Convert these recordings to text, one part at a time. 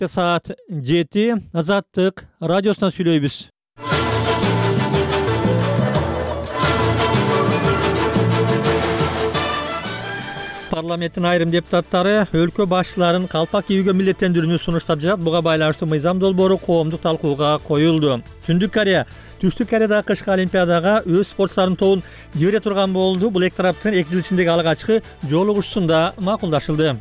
Саат 7 Азаттык радиосунан сүйлөйбүз. Парламенттин айрым депутаттары өлкө башчыларын калпак кийүүгө милдеттендирүүнү сунуштап жатат. Буга байланыштуу мыйзам долбоору коомдук талкууга коюлду. Түндүк Корея Түштүк Кореядагы кышкы олимпиадага өз спортчуларынын тобун жибере турган болду. Бул эки тараптын 2 жыл ичиндеги алгачкы жолугушуусунда макулдашылды.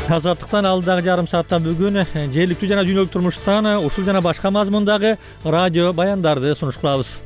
Азаттыктан алдыдагы жарым саатта бүгүн жергиликтүү жана дүйнөлүк турмуштан ушул жана башка мазмундагы радио баяндарды сунуш кылабыз.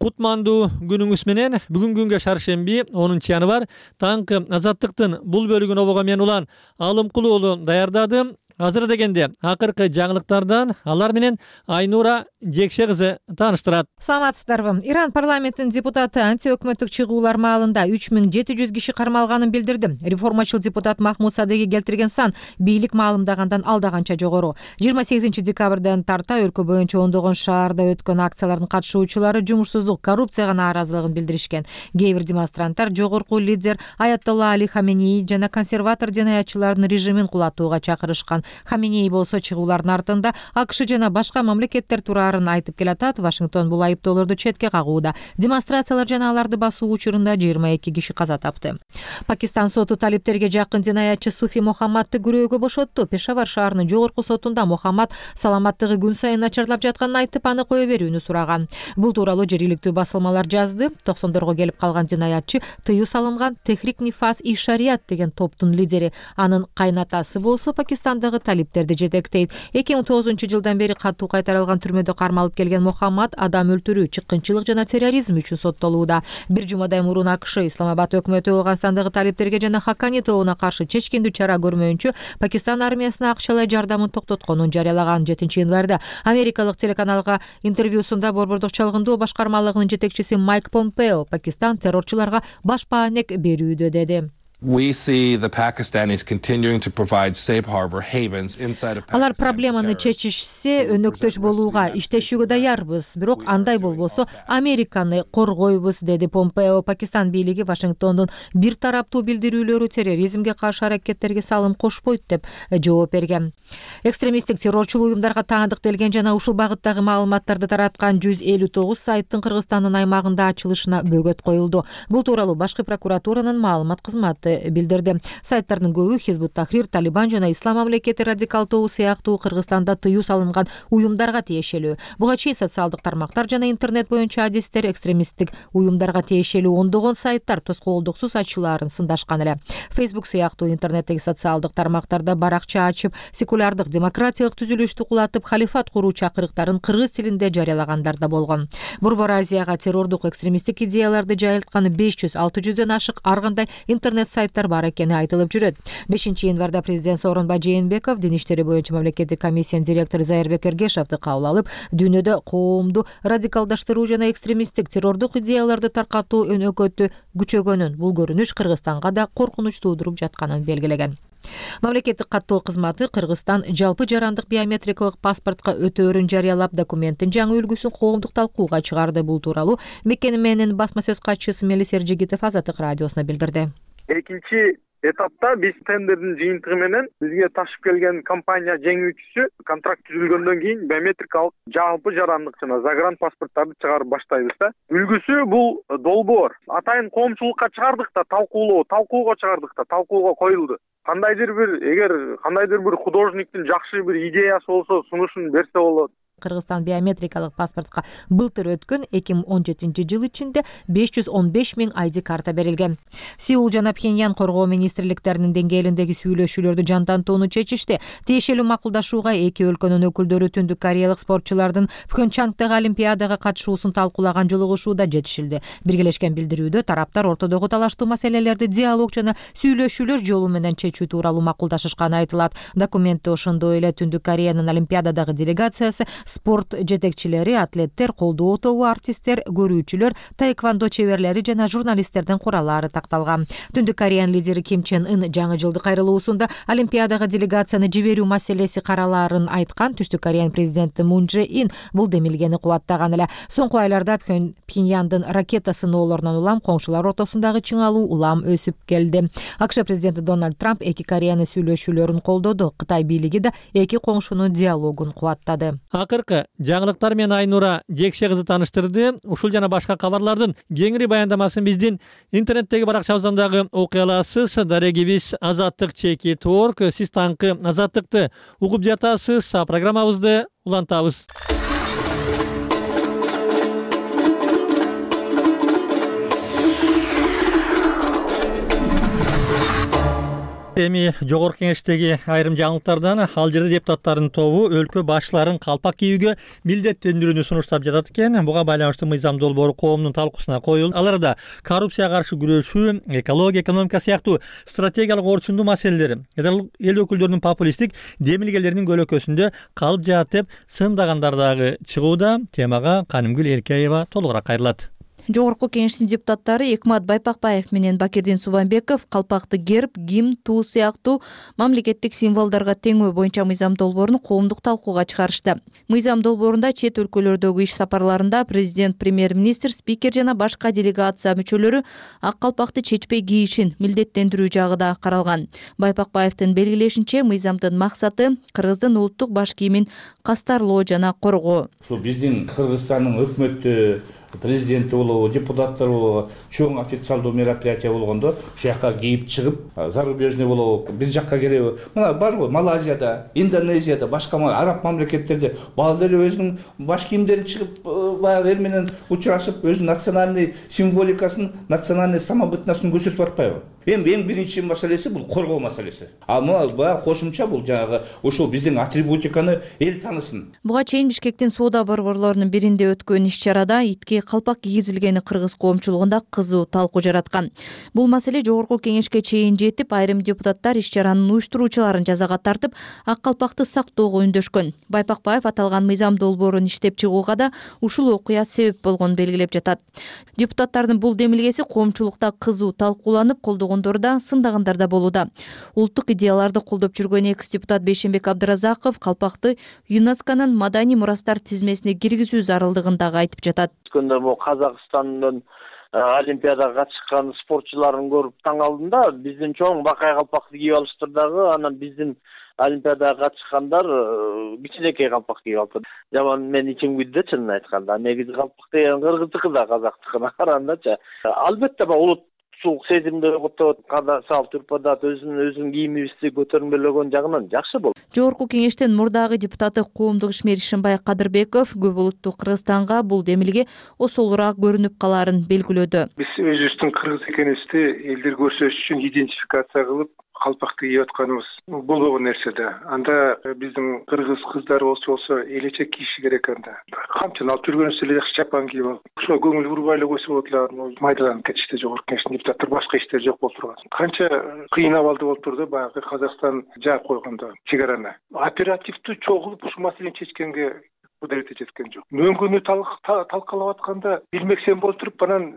Кутмандуу күнүңүз менен. Бүгүн күнгө шаршемби 10-январь таңкы Азаттыктын бул бөлүгүн обого мен улан Алымкулуу уулу даярдады. Азыр дегенде акыркы жаңылыктардан алар менен Айнура Жекше кызы тааныштырат. Саламатсыздарбы? Иран парламентинин депутаты антиөкмөттүк чыгуулар маалында 3700 киши кармалганын билдирди. Реформачыл депутат Махмуд Садыги келтирген сан бийлик маалымдагандан алдаганча жогору. 28 декабрдан тарта өлкө боюнча ондогон шаарда өткөн акциялардын катышуучулары жумушсуздук, коррупцияга нааразылыгын билдиришкен. Кээ бир демонстранттар жогорку лидер Аятолла Али Хаменеи жана консерватор жинаятчылардын режимин кулатууга чакырышкан. Хаменеи болсо чыгуулардын артында АКШ жана башка мамлекеттер турарын айтып келатат. Вашингтон бул айыптоолорду четке кагууда. Демонстрациялар жана аларды басуу учурунда 22 киши каза тапты. Пакистан соту талиптерге жакын жинаятчы Суфи Мохаммадты күрөөгө бошотту. Пешавар шаарынын жогорку сотунда Мохаммад саламаттыгы күн сайын начарлап жатканын айтып, аны кое берүүнү сураган. Бул тууралуу жергиликтүү басылмалар жазды. 90-дорго келип калган жинаятчы тыюу салынган Техрик Нифас и Шариат деген топтун лидери. Анын кайнатасы болсо Пакистандагы талиптерди жетектейт. 2009 жылдан бери катуу кайтарылган түрмөдө кармалып келген Мохаммад адам өлтүрүү, чыккынчылык жана терроризм үчүн соттолууда. Бир жумадай мурун АКШ Исламабад өкмөтү Ооганстандагы талиптерге жана Хакани тобуна каршы чечкиндүү чара көрмөйүнчө Пакистан армиясына акчалай жардамын токтотконун жарыялаган. 7-январда америкалык телеканалга интервьюсунда Борбордук чалгындоо башкармалыгынын жетекчиси Майк Помпео Пакистан террорчуларга баш баанек берүүдө деди. Алар проблеманы чечишсе, өнөктөш болууга, иштешүүгө даярбыз. Бирок андай болбосо Американы коргойбуз, деди Помпео. Пакистан бийлиги Вашингтондун бир тараптуу билдирүүлөрү терроризмге каршы аракеттерге салым кошпойт деп жооп берген. Экстремисттик террорчул уюмдарга таандыктелген жана ушул багыттагы маалыматтарды тараткан 159 сайттын Кыргызстандын аймагында ачылышына бөгөт коюлду. Бул тууралуу башкы прокуратуранын маалымат кызматы билдирди. Сайттардын көбү Хизбут Тахрир, Талибан жана Ислам мамлекети радикал тобу сыяктуу Кыргызстанда тыюу салынган уюмдарга тиешелүү. Буга чейин социалдык тармактар жана интернет боюнча адистер экстремисттик уюмдарга тиешелүү ондогон сайттар тоскоолдуксуз ачылаарын сындашкан эле. Facebook сыяктуу интернеттеги социалдык тармактарда баракча ачып, секулярдык демократиялык түзүлүштү кулатып, халифат куруу чакырыктарын кыргыз тилинде жарыялагандар да болгон. Борбор Азияга террордук экстремисттик идеяларды жайылтканы 500-600дөн ашык ар кандай интернет сайттар бар экени айтылып жүрөт. 5-январда президент Сооронбай Жээнбеков Дин иштери боюнча мамлекеттик комиссиянын директору Зайырбек Эргешовду кабыл алып, дүйнөдө коомду радикалдаштыруу жана экстремисттик террордук идеяларды таркатуу өнөкөтү күчөгөнүн, бул көрүнүш Кыргызстанга да коркунуч туудуруп жатканын белгилеген. Мамлекеттик каттоо кызматы Кыргызстан жалпы жарандык биометрикалык паспортко өтөөрүн жарыялап, документтин жаңы үлгүсүн коомдук талкууга чыгарды. Бул тууралуу мекеменин басма сөз катчысы Мелис Эржигитов Азаттык радиосуна билдирди. Экинчи этапта биз тендердин жыйынтыгы менен бизге ташып келген компания жеңүүчүсү контракт түзүлгөндөн кийин биометрикалык жалпы жарандык жана загран паспорттарды чыгарып баштайбыз да. Үлгүсү бул долбоор. Атайын коомчулукка чыгардык да, талкууга чыгардык да, талкууга коюлду. Эгер кандайдыр бир художниктин жакшы бир идеясы болсо, сунушун берсе болот. Кыргызстан биометрикалык паспортко былтыр өткөн 2017 жыл ичинде 515 000 ID карта берилген. Сеул жана Пхеньян коргоо министрликтеринин деңгээлиндеги сүйлөшүүлөрдү жандантууну чечишти. Тиешелүү макулдашууга эки өлкөнүн өкүлдөрү Түндүк Кореялык спортчулардын Пхенчангдагы олимпиадага катышуусун талкуулаган жолугушууда жетишилди. Биргелешкен билдирүүдө тараптар ортодогу талаштуу маселелерди диалог жана сүйлөшүүлөр жолу менен чечүү тууралуу макулдашышканы айтылат. Документте ошондой эле Түндүк Кореянын олимпиададагы делегациясы Спорт жетекчилери, атлеттер, колдоо тобу, артисттер, көрүүчүлөр, таэквондо чеберлери жана журналисттердин кураллары такталган. Түндүк Кореянын лидери Ким Чен Ын жаңы жылдык кайрылуусунда Олимпиадага делегацияны жиберүү маселеси каралаарын айткан. Түштүк Кореянын президенти Мун Чже Ин бул демилгени кубаттаган эле. Соңку айларда Пхеньяндын ракета сыноолорунан улам коңшулар ортосундагы чыңалуу улам өсүп келди. АКШ президенти Дональд Трамп эки Кореянын сүйлөшүүлөрүн колдоду. Кытай бийлиги да эки коңшунун диалогун кубаттады. Акыркы жаңылыктар менен Айнура Жекше кызы тааныштырды. Ушул жана башка кабарлардын кеңири баяндамасын биздин интернеттеги баракчабыздан дагы окуй аласыз. Дарегибиз Азаттык чеки торг. Сиз таңкы Азаттыкты угуп жатасыз. Программабызды улантабыз. Эми жогорку кеңештеги айрым жаңылыктардан ал жерде депутаттардын тобу өлкө башчыларын калпак кийүүгө милдеттендирүүнү сунуштап жатат экен. Буга байланыштуу мыйзам долбоору коомдун талкуусуна коюлду. Аларда коррупцияга каршы күрөшүү, экология, экономика сыяктуу стратегиялык орчундуу маселелер эл өкүлдөрүнүн популисттик демилгелеринин көлөкөсүндө калып жатат деп сындагандар дагы чыгууда. Темага Канымгүл Эркеева толугураак кайрылат. Жогорку кеңештин депутаттары Экмат Байпакбаев менен Бакирдин Субанбеков калпакты герб, гимн, туу сыяктуу мамлекеттик символдорго теңөө боюнча мыйзам долбоорун коомдук талкууга чыгарышты. Мыйзам долбоорунда чет өлкөлөрдөгү иш сапарларында президент, премьер-министр, спикер жана башка делегация мүчөлөрү ак калпакты чечпей кийишин милдеттендирүү жагы да каралган. Байпакбаевдин белгилешинче, мыйзамдын максаты кыргыздын улуттук баш кийимин кастарлоо жана коргоо. Ушул биздин Кыргызстандын өкмөттү, президенти болобу, депутаттар болобу, чоң официалдуу мероприятие болгондо ушул жака кийип чыгып, зарубежный болобу, биз жакка келеби. Мына бар го Малайзияда, Индонезияда, башка араб мамлекеттерде баалары өзүнүн баш кийимдерин чыгып, баягы эл менен учурашып, өзүнүн национальный символикасын, национальный самобытносын көрсөтүп атпайбы? Эң биринчи маселеси бул коргоо маселеси. Мына баягы кошумча бул жанагы ушул биздин атрибутиканы эл таанысын. Буга чейин Бишкектин соода борборлорунун биринде өткөн иш-чарада итке калпак кийгизилгени кыргыз коомчулугунда кызуу талкуу жараткан. Бул маселе жогорку кеңешке чейин жетип, айрым депутаттар иш-чаранын уюштуруучуларын жазага тартып, ак калпакты сактоого үндөшкөн. Байпакбаев аталган мыйзам долбоорун иштеп чыгууга да ушул окуя себеп болгонун белгилеп жатат. Депутаттардын бул демилгеси коомчулукта кызуу талкууланып, колдогондор да, сындагандар да болууда. Улуттук идеяларды колдоп жүргөн экс-депутат Бейшенбек Абдыразаков калпакты ЮНЕСКОнун маданий мурастар тизмесине киргизүү зарылдыгын дагы айтып жатат. Казакстандын Олимпиадага катышкан спортчуларын көрүп таң калдым да, биздин чоң бакай калпакты кийип алыштыр дагы, анан биздин Олимпиадага катышкандар кичинекей калпак кийип алыптыр. Жаман мен ичим күйдү чынын айтканда. Негизи калпак деген кыргыздыкы да казактыкына карагандачы. Албетте улут сезимди оготот, салт үрп-адат өзүнүн кийимибизди көтөрмөлөгөн жагынан жакшы болду. Жогорку кеңештин мурдагы депутаты коомдук ишмер Ишимбай Кадырбеков көп улуттуу Кыргызстанга бул демилге осолураак көрүнүп калаарын белгилөөдө. Биз өзүбүздүн кыргыз экенибизди элдер көрсөтүш үчүн идентификация кылып калпакты кийип атканыбыз болбогон нерсе да. Анда биздин кыргыз кыздары болсо элечек кийиши керек анда. Камчыны алып жүргөнүбүз эле жакшы чапан кийип алып. Ошо көңүл бурбай эле койсо болот эле, майдаланып кетишти жогорку кеңештин депутаттары, башка иштер жок болуп турган. Канча кыйын абалды болуп турду баягы Казакстан жаап койгондо чегараны. Оперативдүү чогулуп ушул маселени чечкенге кудурети жеткен жок. Мөңгүнү талкалап атканда билмексен болуп туруп, анан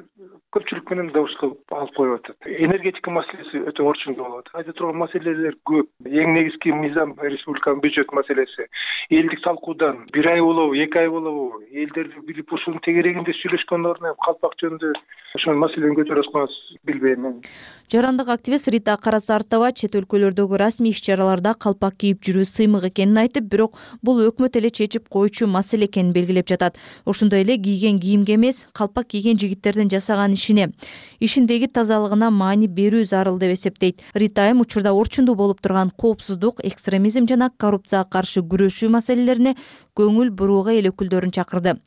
көпчүлүк менен добуш кылып алып коюп атат. Энергетика маселеси өтө орчундуу болот. Айта турган маселелер көп. Эң негизги мыйзам республиканын бюджет маселеси. Элдик талкуудан 1 ай болобу, 2 ай болобу, элдерди билип ушунун тегерегинде сүйлөшкөн ордуна калпак жөнүндө ошол маселени көтөрүп атканыбыз билбейм. Жарандык активист Рита Карасартова чет өлкөлөрдөгү расмий иш-чараларда калпак кийип жүрүү сыймык экенин айтып, бирок бул өкмөт эле чечип коючу маселе экенин белгилеп жатат. Ошондой эле кийген кийимге эмес, калпак кийген жигиттердин жасаган ишиндеги тазалыгына маани берүү зарыл деп эсептейт. Рита айым учурда орчундуу болуп турган коопсуздук, экстремизм жана коррупцияга каршы күрөшүү маселелерине көңүл бурууга эл өкүлдөрүн чакырды.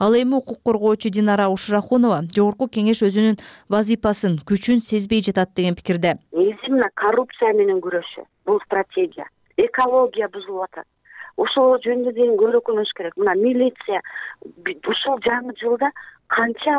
Ал эми укук коргоочу Динара Ушрахунова жогорку кеңеш өзүнүн вазипасын, күчүн сезбей жатат деген пикирде. Мына коррупция менен күрөшүү, бул стратегия. Экология бузулуп атат. Ошол жөнүндө көрөкүнүш керек. Мына милиция ушул жаңы жылда канча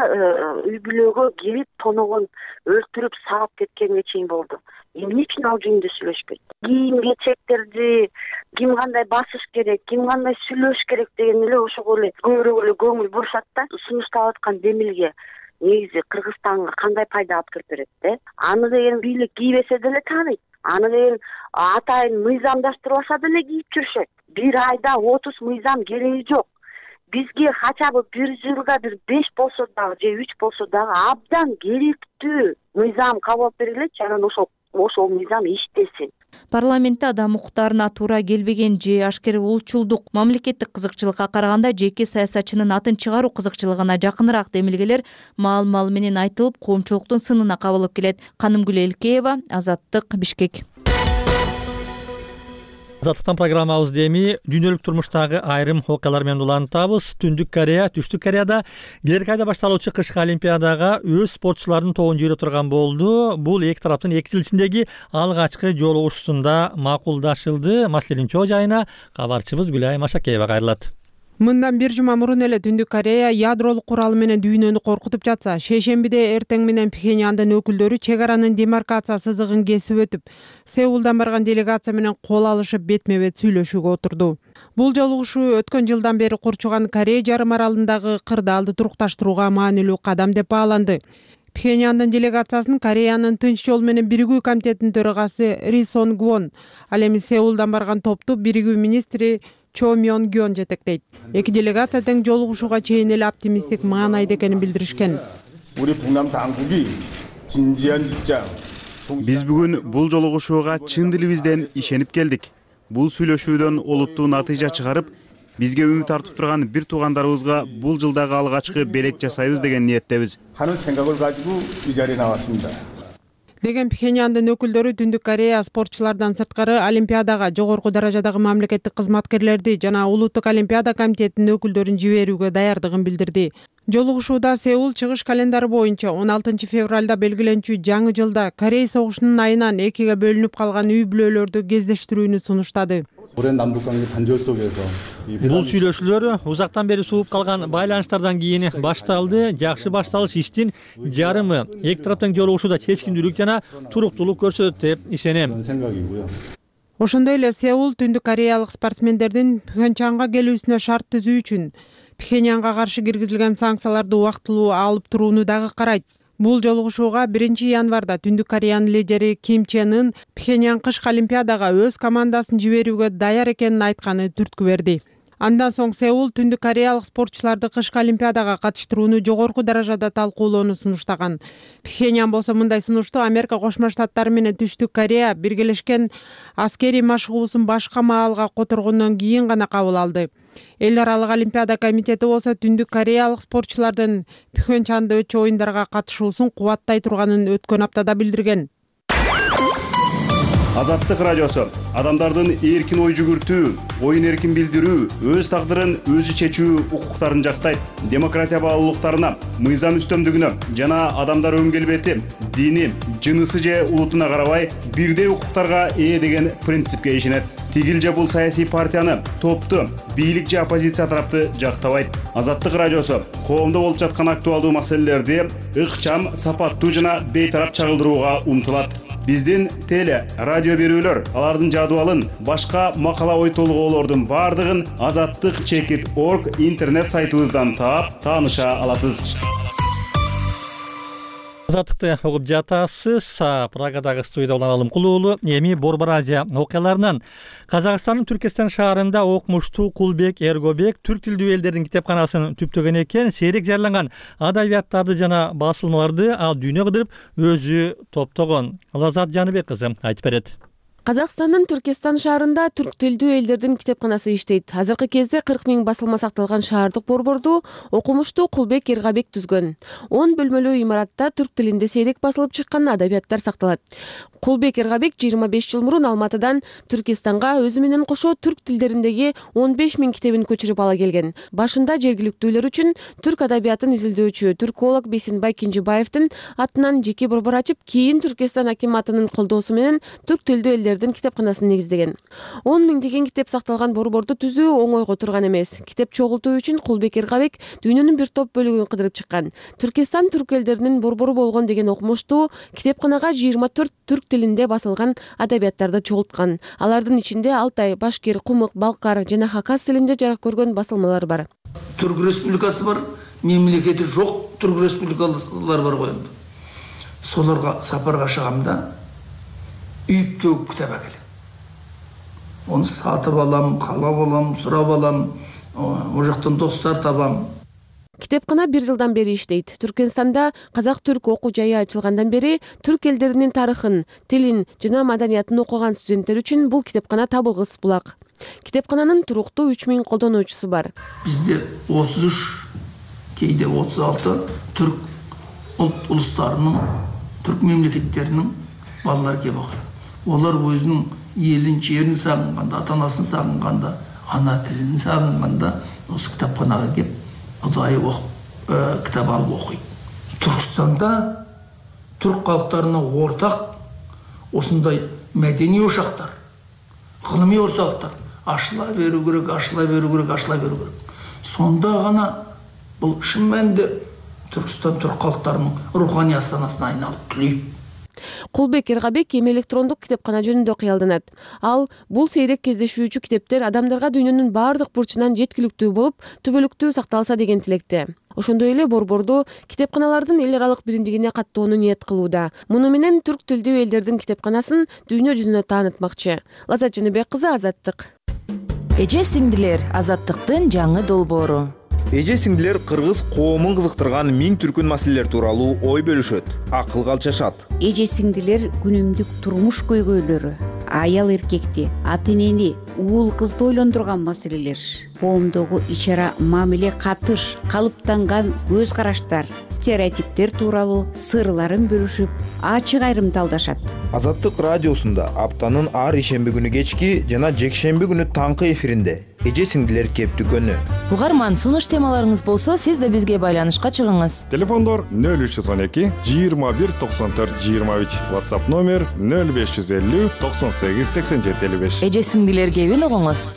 үй бүлөгө келип тоногон өлтүрүп саап кеткенге чейин болду. Эмне үчүн ал жөнүндө сүйлөшпөйт? Кийим кечектерди ким кандай басыш керек, ким кандай сүйлөш керек деген эле ошого эле көбүрөөк эле көңүл бурушат да. Сунушталып аткан демилге негизи Кыргызстанга кандай пайда алып келип берет да? Аны деген бийлик кийбесе деле тааныйт. Аны деген атайын мыйзамдаштырбаса деле кийип жүрүшөт. Бир айда 30 мыйзам кереги жок. Бизге хотя бы бир жылда бир 5 болсо дагы же 3 болсо дагы абдан керектүү мыйзам кабыл алып берилетчи, анан ошол мыйзам иштесин. Парламентте адам укуктарына туура келбеген же ашкер улчулдук, мамлекеттик кызыкчылыкка караганда жеке саясатчынын атын чыгаруу кызыкчылыгына жакыныраак демилгелер маал менен айтылып, коомчулуктун сынына кабылып келет. Канымгүл Элкеева, Азаттык, Бишкек. Азаттыктан программабыз эми дүйнөлүк турмуштагы айрым окуялар менен улантабыз. Түштүк Кореяда келерки айда башталуучу кышкы олимпиадага өз спортчуларынын тобун жибере турган болду. Бул эки тараптын 2 жыл ичиндеги алгачкы жолугушуусунда макулдашылды. Маселенин чоо жайына кабарчыбыз Гүлай Машакеева кайрылат. Мындан бир жума мурун эле Түндүк Корея ядролук куралы менен дүйнөнү коркутуп жатса, шейшембиде эртең менен Пхеньяндын өкүлдөрү чек аранын демаркация сызыгын кесип өтүп, Сеулдан барган делегация менен кол алышып бетме-бет сүйлөшүүгө отурду. Бул жолугушуу өткөн жылдан бери курчуган Корея жарым аралындагы кырдаалды турукташтырууга маанилүү кадам деп бааланды. Пхеньяндын делегациясын Кореянын Тынч жол менен биригүү комитетинин төрагасы Ри Сон Гвон, ал эми Сеулдан барган топту биригүү министри Чо Мён Гён жетектейт. Эки делегация тең жолугушууга чейин эле оптимисттик маанайда экенин билдиришкен. Биз бүгүн бул жолугушууга чын дилибизден ишенип келдик. Бул сүйлөшүүдөн олуттуу натыйжа чыгарып, бизге үмүт артып турган бир туугандарыбызга бул жылдагы алгачкы белек жасайбыз деген ниеттебиз. Деген Пхеньяндын өкүлдөрү Түндүк Корея спортчулардан сырткары олимпиадага жогорку даражадагы мамлекеттик кызматкерлерди жана улуттук олимпиада комитетинин өкүлдөрүн жиберүүгө даярдыгын билдирди. Жолугушууда Сеул чыгыш календары боюнча 16 февралда белгиленчү жаңы жылда Корей согушунун айынан экиге бөлүнүп калган үй бүлөлөрдү кездештирүүнү сунуштады. Бул сүйлөшүүлөр узактан бери сууп калган байланыштардан кийин башталды. Жакшы башталыш иштин жарымы эки тараптын жолугушууда чечкиндүүлүк жана туруктуулук көрсөтөт деп ишенем. Ошондой эле Сеул Түндүк Кореялык спортсмендердин Пхенчанга келүүсүнө шарт түзүү үчүн Пхеньянга каршы киргизилген санкцияларды убактылуу алып турууну дагы карайт. Бул жолугушууга 1 январда Түндүк Кореянын лидери Ким Чен Ын Пхеньян кышкы олимпиадага өз командасын жиберүүгө даяр экенин айтканы түрткү берди. Андан соң Сеул Түндүк Кореялык спортчуларды кышкы олимпиадага катыштырууну жогорку даражада талкуулоону сунуштаган. Пхеньян болсо мындай сунушту Америка Кошмо Штаттары менен Түштүк Корея биргелешкен аскерий машыгуусун башка маалга которгондон кийин гана кабыл алды. Эл аралык олимпиада комитети болсо Түндүк Кореялык спортчулардын Пхенчанда өтчү оюндарга катышуусун кубаттай турганын өткөн аптада билдирген. Азаттык радиосу адамдардын эркин ой жүгүртүү, оюн эркин билдирүү, өз тагдырын өзү чечүү укуктарын жактайт. Демократия баалуулуктарына, мыйзам үстөмдүгүнө жана адамдар өн келбети, дини, жынысы же улутуна карабай бирдей укуктарга ээ деген принципке ишенет. Тигил же бул саясий партияны, топту, бийлик же оппозиция тарапты жактабайт. Азаттык радиосу коомдо болуп жаткан актуалдуу маселелерди ыкчам, сапаттуу жана бейтарап чагылдырууга умтулат. Биздин теле, радио берүүлөр, алардын жадыбалын, башка макала ой толгоолордун бардыгын azattyk.org интернет сайтыбыздан таап, тааныша аласыз. Азаттыкты угуп жатасыз. Прагадагы студияда Улан Алымкулуу. Эми Борбор Азия окуяларынан Казакстандын Түркестан шаарында окумуштуу Кулбек Эргобек түрк тилдүү элдердин китепканасын түптөгөн экен. Сейрек жарланган адабияттарды жана басылмаларды ал дүйнө кыдырып өзү топтогон. Лазат Жаныбек кызы айтып берет. Казакстандын Түркестан шаарында түрк тилдүү элдердин китепканасы иштейт. Азыркы кезде 40 000 басылма сакталган шаардык борборду окумуштуу Кулбек Эргобек түзгөн. 10 бөлмөлүү имаратта түрк тилинде сейрек басылып чыккан адабияттар сакталат. Кулбек Эргобек 25 жыл мурун Алматыдан Түркистанга өзү менен кошо түрк тилдериндеги 15 000 китебин көчүрүп ала келген. Башында жергиликтүүлөр үчүн түрк адабиятын изилдөөчү түрколог Бесенбай Кенжебаевдин атынан жеке борбор ачып, кийин Түркистан акиматынын колдоосу менен түрк тилдүү элдердин элдердин китепканасын негиздеген. 10 миңдеген китеп сакталган борборду түзүү оңойго турган эмес. Китеп чогултуу үчүн Кулбек Эргабек дүйнөнүн бир топ бөлүгүн кыдырып чыккан. Түркистан түрк элдеринин борбору болгон деген окумуштуу китепканага 24 түрк тилинде басылган адабияттарды чогулткан. Алардын ичинде Алтай, Башкир, Кумык, Балкар жана Хакас тилинде жарык көргөн басылмалар бар. Түрк республикасы бар, мемлекети жок түрк республикалар бар ғой. Соларга сапарга чыгамда үйүп төгүп китап әкелем. Оны сатып алам, каалап алам, сурап алам, о жактан достор табам. Китепкана 1 жылдан бери иштейт. Түркменстанда казак-түрк окуу жайы ачылгандан бери түрк элдеринин тарыхын, тилин жана маданиятын окуган студенттер үчүн бул китепкана табылгыс булак. Китепкананын туруктуу 3000 колдонуучусу бар. Бизде 33, кейде 36 түрк улустарынын, түрк мемлекеттеринин балалары келип окуйт. Олар өзүнүн элин, жерин сагынганда, ата-анасын сагынганда, ана тилин сагынганда осы китапканага келип удайы китап алып окуйт. Түркстанда түрк калктарына ортак осындай мәдени ошактар, гылымый орталыктар ашыла беру керек, ашыла беру керек, ашыла беру керек. Сонда гана бул шын мәнинде Түркстан түрк калктарынын руханий астанасына айналып түлейт. Кулбек Эргабек эми электрондук китепкана жөнүндө кыялданат. Ал бул сейрек кездешүүчү китептер адамдарга дүйнөнүн баардык бурчунан жеткиликтүү болуп, түбөлүктүү сакталса деген тилекте. Ошондой эле борборду китепканалардын эл аралык биримдигине каттоону ниет кылууда. Муну менен түрк тилдүү элдердин китепканасын дүйнө жүзүнө таанытмакчы. Лаззат Жаныбек кызы, Азаттык. Эже сиңдилер, Азаттыктын жаңы долбоору. Эже сиңдилер кыргыз коомун кызыктырган миң түркүн маселелер тууралуу ой бөлүшөт, акылга алчашат. Эже сиңдилер күнүмдүк турмуш көйгөйлөрү, аял эркекти, ата энени, уул кызды ойлондурган маселелер, коомдогу ичара мамиле катыш, калыптанган көз караштар, стереотиптер тууралуу сырларын бөлүшүп, ачык айрымды алдашат. Азаттык радиосунда аптанын ар ишемби күнү кечки жана жекшемби күнү таңкы эфиринде эже сиңдилер кеп дүкөнү. Угарман, сунуш темаларыңыз болсо, сиз да бизге байланышка чыгыңыз. Телефондор 0312 21 94 23, WhatsApp номер 0550 98 87 55. Эже сиңдилер кебин угуңуз.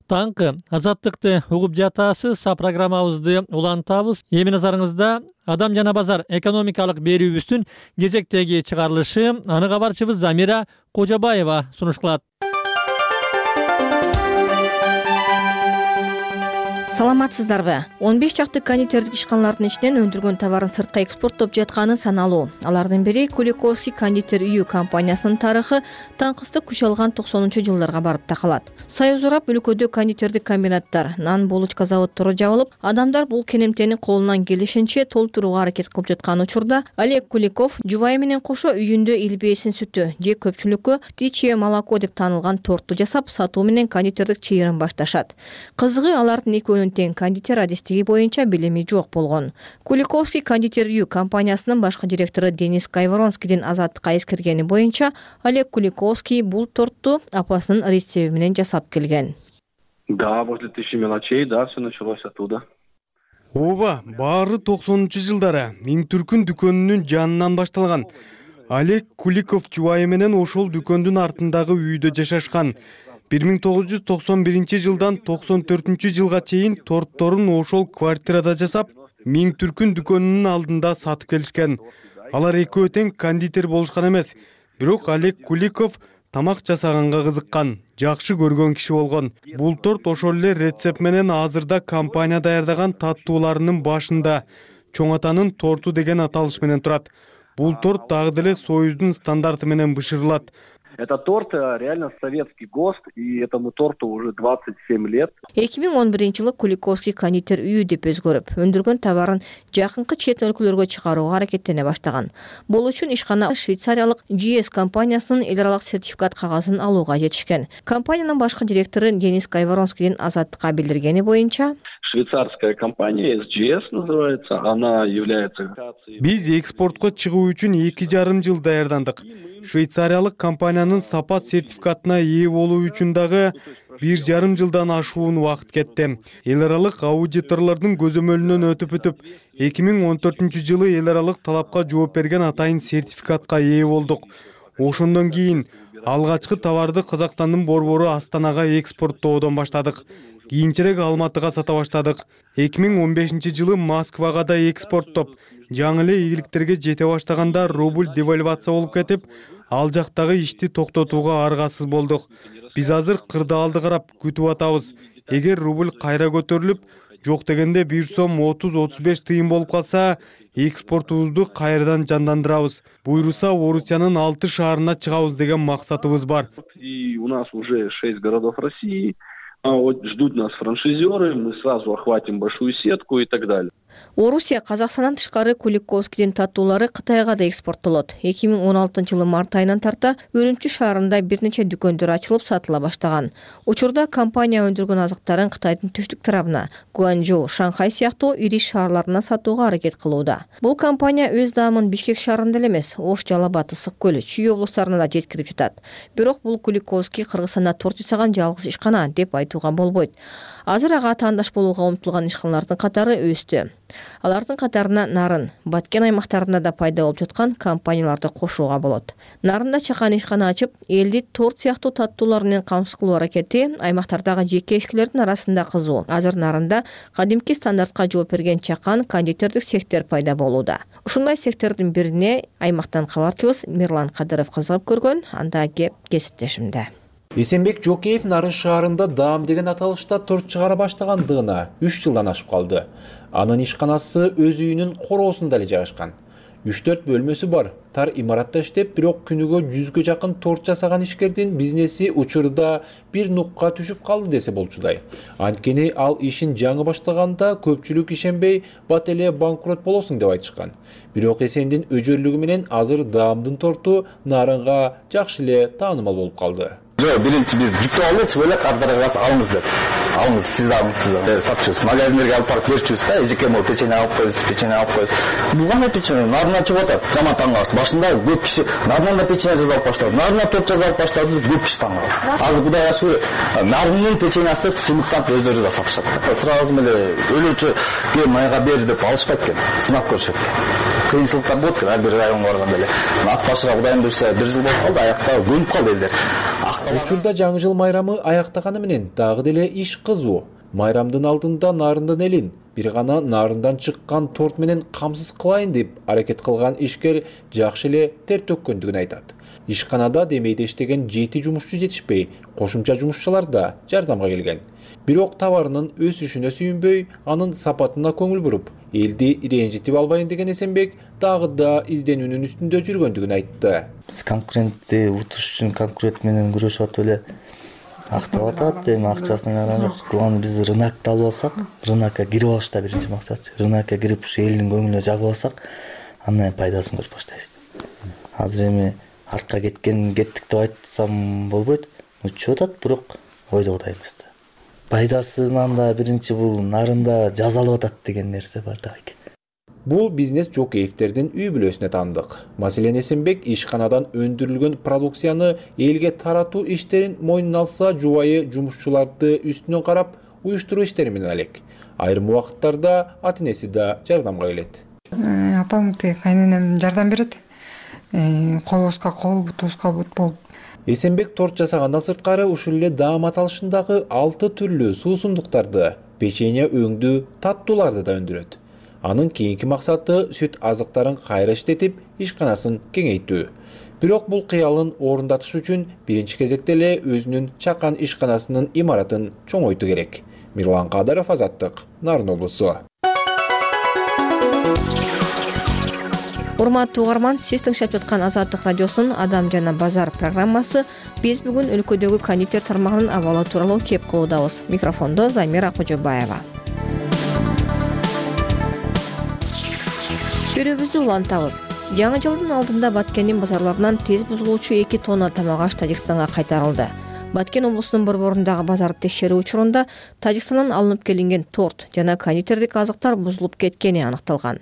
Таңкы Азаттыкты угуп жатасыз, программабызды улантабыз. Эми назарыңызда Адам жана базар экономикалык берүүбүздүн кезектеги чыгарылышы. Аны кабарчыбыз Замира Кожобаева сунуш кылат. Саламатсыздарбы? 15 чакты кондитердик ишканалардын ичинен өндүргөн товарын сыртка экспорттоп жатканы саналуу. Алардын бири Куликовский кондитер үйү компаниясынын тарыхы таңкыстык күч алган 90-жылдарга барып такалат. Союз урап өлкөдө кондитердик комбинаттар, нан булочка заводдору жабылып, адамдар бул кенемтени колунан келишинче толтурууга аракет кылып жаткан учурда Олег Куликов жубайы менен кошо үйүндө илбээсин сүтү же көпчүлүккө птичье молоко деп таанылган торту жасап, сатуу менен кондитердик чыйырын башташат. Кызыгы, алардын экөөнүн тең кондитер адистиги боюнча билими жок болгон. Куликовский кондитер үйү компаниясынын башкы директору Денис Кайворонскийдин Азаттыкка эскергени боюнча, Олег Куликовский бул торту апасынын рецепти менен жасап келген. Да, возле 1000 мелочей, да, все началось оттуда. Ооба, баары 90-жылдары миң түркүн дүкөнүнүн жанынан башталган. Олег Куликов жубайы менен ошол дүкөндүн артындагы үйдө жашашкан. 1991 жылдан 94 жылга чейин тортторун ошол квартирада жасап, миң түркүн дүкөнүнүн алдында сатып келишкен. Алар экөө тең кондитер болушкан эмес, бирок Олег Куликов тамак жасаганга кызыккан, жакшы көргөн киши болгон. Бул торт ошол эле рецепт менен азырда компания даярдаган таттууларынын башында чоң атанын торту деген аталыш менен турат. Бул торт дагы деле Союздун стандарты менен бышырылат. Это торт реально советский ГОСТ, и этому торту уже 27 лет. 2011 жылы Куликовский кондитер үйү деп өзгөрүп, өндүргөн товарын жакынкы чет өлкөлөргө чыгарууга аракеттене баштаган. Бул үчүн ишкана швейцариялык GS компаниясынын эл аралык сертификат кагазын алууга жетишкен. Компаниянын башкы директору Денис Кайворонскийдин Азаттыкка билдиргени боюнча, швейцарская компания SGS называется, она является... Биз экспортко чыгуу үчүн 2,5 жыл даярдандык. Швейцариялык компаниянын сапат сертификатына ээ болуу үчүн дагы 1,5 жылдан ашуун убакыт кетти. Эл аралык аудиторлордун көзөмөлүнөн өтүп 2014-жылы эл аралык талапка жооп берген атайын сертификатка ээ болдук. Ошондон кийин алгачкы товарды Казакстандын борбору Астанага экспорттоодон баштадык. Кийинчерээк Алматыга сата баштадык. 2015-жылы Москвага да экспорттоп, жаңы эле ийгиликтерге жете баштаганда рубль девальвация болуп кетип, ал жактагы ишти токтотууга аргасыз болдук. Биз азыр кырдаалды карап күтүп атабыз. Эгер рубль кайра көтөрүлүп, жок дегенде 1 сом 30-35 тыйын болуп калса, экспортубузду кайрадан жандандырабыз. Буйруса Орусиянын 6 шаарына чыгабыз деген максатыбыз бар. И у нас уже 6 городов России. Ждут нас франшизеры, мы сразу охватим большую сетку и так далее. Орусия Казакстандан тышкары Куликовскийдин таттуулары Кытайга да экспорттолот. 2016-жылы март айынан тарта Үрүмчү шаарында бир нече дүкөндөр ачылып сатыла баштаган. Учурда компания өндүргөн азыктарын Кытайдын түштүк тарабына, Гуанчжоу, Шанхай сыяктуу ири шаарларына сатууга аракет кылууда. Бул компания өз даамын Бишкек шаарында эле эмес, Ош, Жалал-Абад, Ысык көл, Чүй облустарына да жеткирип жатат. Бирок бул Куликовский Кыргызстанда торт жасаган жалгыз ишкана деп айтууга болбойт. Азыр ага таандаш болууга умтулган ишканалардын катары өстү. Алардын катарына Нарын, Баткен аймактарында да пайда болуп жаткан компанияларды кошууга болот. Нарында чакан ишкана ачып, элди торт сыяктуу таттуулар менен камсыз кылуу аракети аймактардагы жеке ишкерлердин арасында кызуу. Азыр Нарында кадимки стандартка жооп берген чакан кондитердик цехтер пайда болууда. Ушундай цехтердин бирине аймактан кабарчыбыз Мирлан Кадыров кызыгып көргөн, анда кеп кесиптешимде. Эсенбек Жокеев Нарын шаарында даам деген аталышта торт чыгара баштагандыгына 3 жылдан ашып калды. Анын ишканасы өз үйүнүн короосунда эле жайгашкан. 3-4 бөлмөсү бар. Тар имаратта иштеп, бирок күнүгө 100гө жакын торт жасаган ишкердин бизнеси учурда бир нукка түшүп калды десе болчудай. Анткени ал ишин жаңы баштаганда көпчүлүк ишенбей, бат эле банкрот болосуң деп айтышкан. Бирок Эсендин өжөрлүгү менен азыр даамдын торту Нарынга жакшы эле таанымал болуп калды. Жок, биринчи биз жүктөп алдык, бөлөк кадрларга алыңыз деп. Алыңыз, сиз сатчубуз. Магазиндерге алып барып берчүбүз да, эжеке могу печенье алып коебуз. Бул кандай печенье? Нарынан чыгып атат. Жаман таң калабыз. Башында көп киши нарынан да печенье жасап баштады. Нарынан торт жасап баштады, көп киши таң калды. Азыр Кудай ашыгы, нарынын печеньясы сыныктап өздөрү да сатышат. Сразу эле өлүүчү майга бер деп алышпайт экен, сынап көрүшөт экен. Кыйынчылыктар болот экен, ар бир районго барганда эле. Ат башыга Кудайым буйрса 1 жыл болуп калды, аякта көнүп калды элдер. Учурда жаңы жыл майрамы аяктаганы менен дагы деле иш кызуу. Майрамдын алдында Нарындын элин бир гана нарындан чыккан торт менен камсыз кылайын деп аракет кылган ишкер жакшы эле тер төккөндүгүн айтат. Ишканада демейде иштеген 7 жумушчу жетишпей, кошумча жумушчулар да жардамга келген. Бирок товарынын өсүшүнө сүйүнбөй, анын сапатына көңүл буруп, элди ренжитип албайын деген Эсенбек дагы да изденүүнүн үстүндө жүргөндүгүн айтты. Биз конкурентти утуш үчүн конкурент менен күрөшүп атып эле актап атат, эми акчасына карап жок. Кулан биз рынокто алып алсак, рынокко кирип алыш да биринчи максат. Рынокко кирип ушу элдин көңүлүнө жагып алсак, андан пайдасын көрүп баштайбыз. Азыр эми артка кеттик деп айтсам болбойт. Чыгып атат, бирок ойдогудай эмес да. Пайдасынан да биринчи бул нарында жазалып атат деген нерсе бар да. Бул бизнес Жокеевтердин үй бүлөсүнө таандык. Маселен Эсенбек ишканадан өндүрүлгөн продукцияны элге таратуу иштерин мойнуна алса, жубайы жумушчуларды үстүнөн карап, уюштуруу иштери менен алек. Айрым убакыттарда ата-энеси да жардамга келет. Апам кайненем жардам берет. Колубузга кол, бутубузга бут болуп. Эсенбек торт жасагандан сырткары ушул эле даам аталышындагы 6 түрлүү суусундуктарды, печенье өңдүү, таттууларды да өндүрөт. Анын кийинки максаты сүт азыктарын кайра иштетип, ишканасын кеңейтүү. Бирок бул кыялын орундатыш үчүн биринчи кезекте эле өзүнүн чакан ишканасынын имаратын чоңойтуу керек. Мирлан Кадыров, Азаттык, Нарын облусу. Урматтуу угарман, сиз тыңшап жаткан Азаттык радиосунун Адам жана базар программасы. Биз бүгүн өлкөдөгү кондитер тармагынын абалы тууралуу кеп кылуудабыз. Микрофондо Замира Кожобаева. Көрүүбүздү улантабыз. Жаңы жылдын алдында Баткендин базарларынан тез бузулуучу 2 тонна тамак аш Тажикстанга кайтарылды. Баткен облусунун борборундагы базарды текшерүү учурунда Тажикстандан алынып келинген торт жана кондитердик азыктар бузулуп кеткени аныкталган.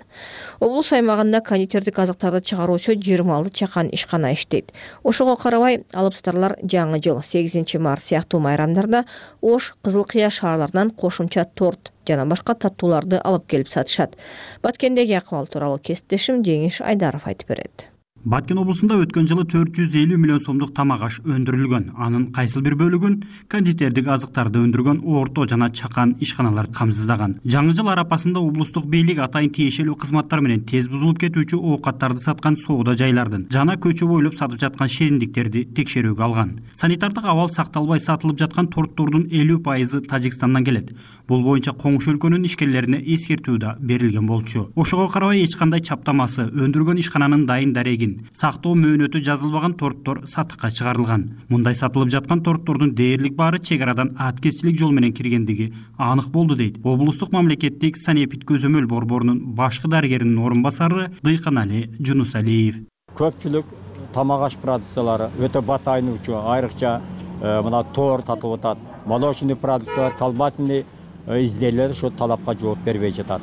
Облус аймагында кондитердик азыктарды чыгаруучу 26 чакан ишкана иштейт. Ошого карабай, алыпсатарлар жаңы жыл 8 март сыяктуу майрамдарда Ош, Кызыл Кыя шаарларынан кошумча торт жана башка таттууларды алып келип сатышат. Баткендеги акыбал тууралуу кесиптешим Жеңиш Айдаров айтып берет. Баткен облусунда өткөн жылы 450 миллион сомдук тамак аш өндүрүлгөн. Анын кайсыл бир бөлүгүн кондитердик азыктарды өндүргөн орто жана чакан ишканалар камсыздаган. Жаңы жыл арапасында облустук бийлик атайын тиешелүү кызматтар менен тез бузулуп кетүүчү оокаттарды саткан соода жайлардын жана көчө бойлоп сатып жаткан шериндиктерди текшерүүгө алган. Санитардык абал сакталбай сатылып жаткан торттордун 50% Тажикстандан келет. Бул боюнча коңшу өлкөнүн ишкерлерине эскертүү да берилген болчу. Ошого карабай эч кандай чаптамасы, өндүргөн ишкананын дайын дарегин, сактоо мөөнөтү жазылбаган торттор сатыкка чыгарылган. Мындай сатылып жаткан торттордун дээрлик баары чек арадан аткезчилик жол менен киргендиги анык болду дейт облустук мамлекеттик санэпид көзөмөл борборунун башкы дарыгеринин орун басары Дыйканали Жунусалиев. Көпчүлүк тамак аш продукциялары өтө батайнуучу, айрыкча мына торт сатылып атат. Молочный продукциялар, колбасный изделиялер ошо талапка жооп бербей жатат.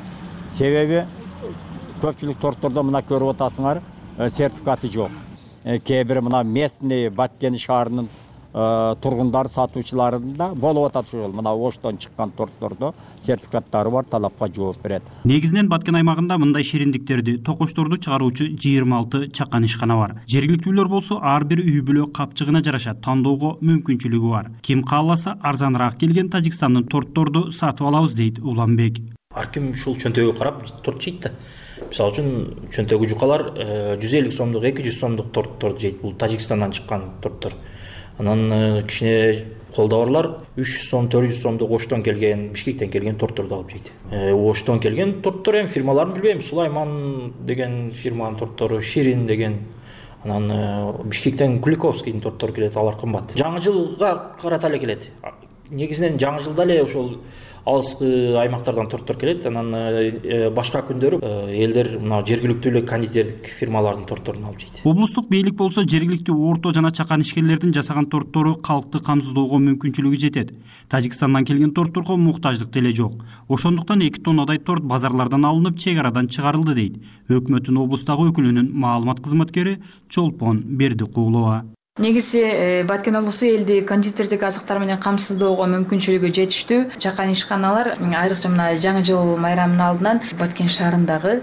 Себеби көпчүлүк торттордо мына көрүп атасыңар, сертификаты жок. Кээ бир мына местный Баткен шаарынын тургундар сатуучуларында болуп атат ошол. Мына Оштон чыккан торттордо сертификаттары бар, талапка жооп берет. Негизинен Баткен аймагында мындай шириндиктерди, токочторду чыгаруучу 26 чакан ишкана бар. Жергиликтүүлөр болсо ар бир үй бүлө капчыгына жараша тандоого мүмкүнчүлүгү бар. Ким кааласа арзаныраак келген Тажикстандын тортторду сатып алабыз дейт Уланбек. Ар ким ушул чөнтөгү карап торт жейт да. Мисалы үчүн чөнтөгү жукалар 150 сомдук, 200 сомдук торттор жейт. Бул Тажикстандан чыккан торттор. Анан кичине колдоорлар 300 сом, 400 сомдук Оштон келген, Бишкектен келген тортторду алып жейт. Оштон келген торттор эми фирмаларын билбейм. Сулайман деген фирманын торттору, Ширин деген, анан Бишкектен Куликовскийдин торттору келет, алар кымбат. Жаңы жылга карата эле келет. Негизинен жаңы жылда эле ошол алыскы аймактардан торттор келет. Анан башка күндөрү элдер мына жергиликтүү эле кондитердик фирмалардын тортторун алып жейт. Облустук бийлик болсо жергиликтүү орто жана чакан ишкерлердин жасаган торттору калкты камсыздоого мүмкүнчүлүгү жетет. Тажикстандан келген тортторго муктаждык деле жок. Ошондуктан 2 тоннадай торт базарлардан алынып, чек арадан чыгарылды дейт өкмөттүн облустагы өкүлүнүн маалымат кызматкери Чолпон Бердикулова. Негизи Баткен облусу элди кондитердик азыктар менен камсыздоого мүмкүнчүлүгү жетиштүү. Чакан ишканалар айрыкча мына жаңы жыл майрамынын алдынан Баткен шаарындагы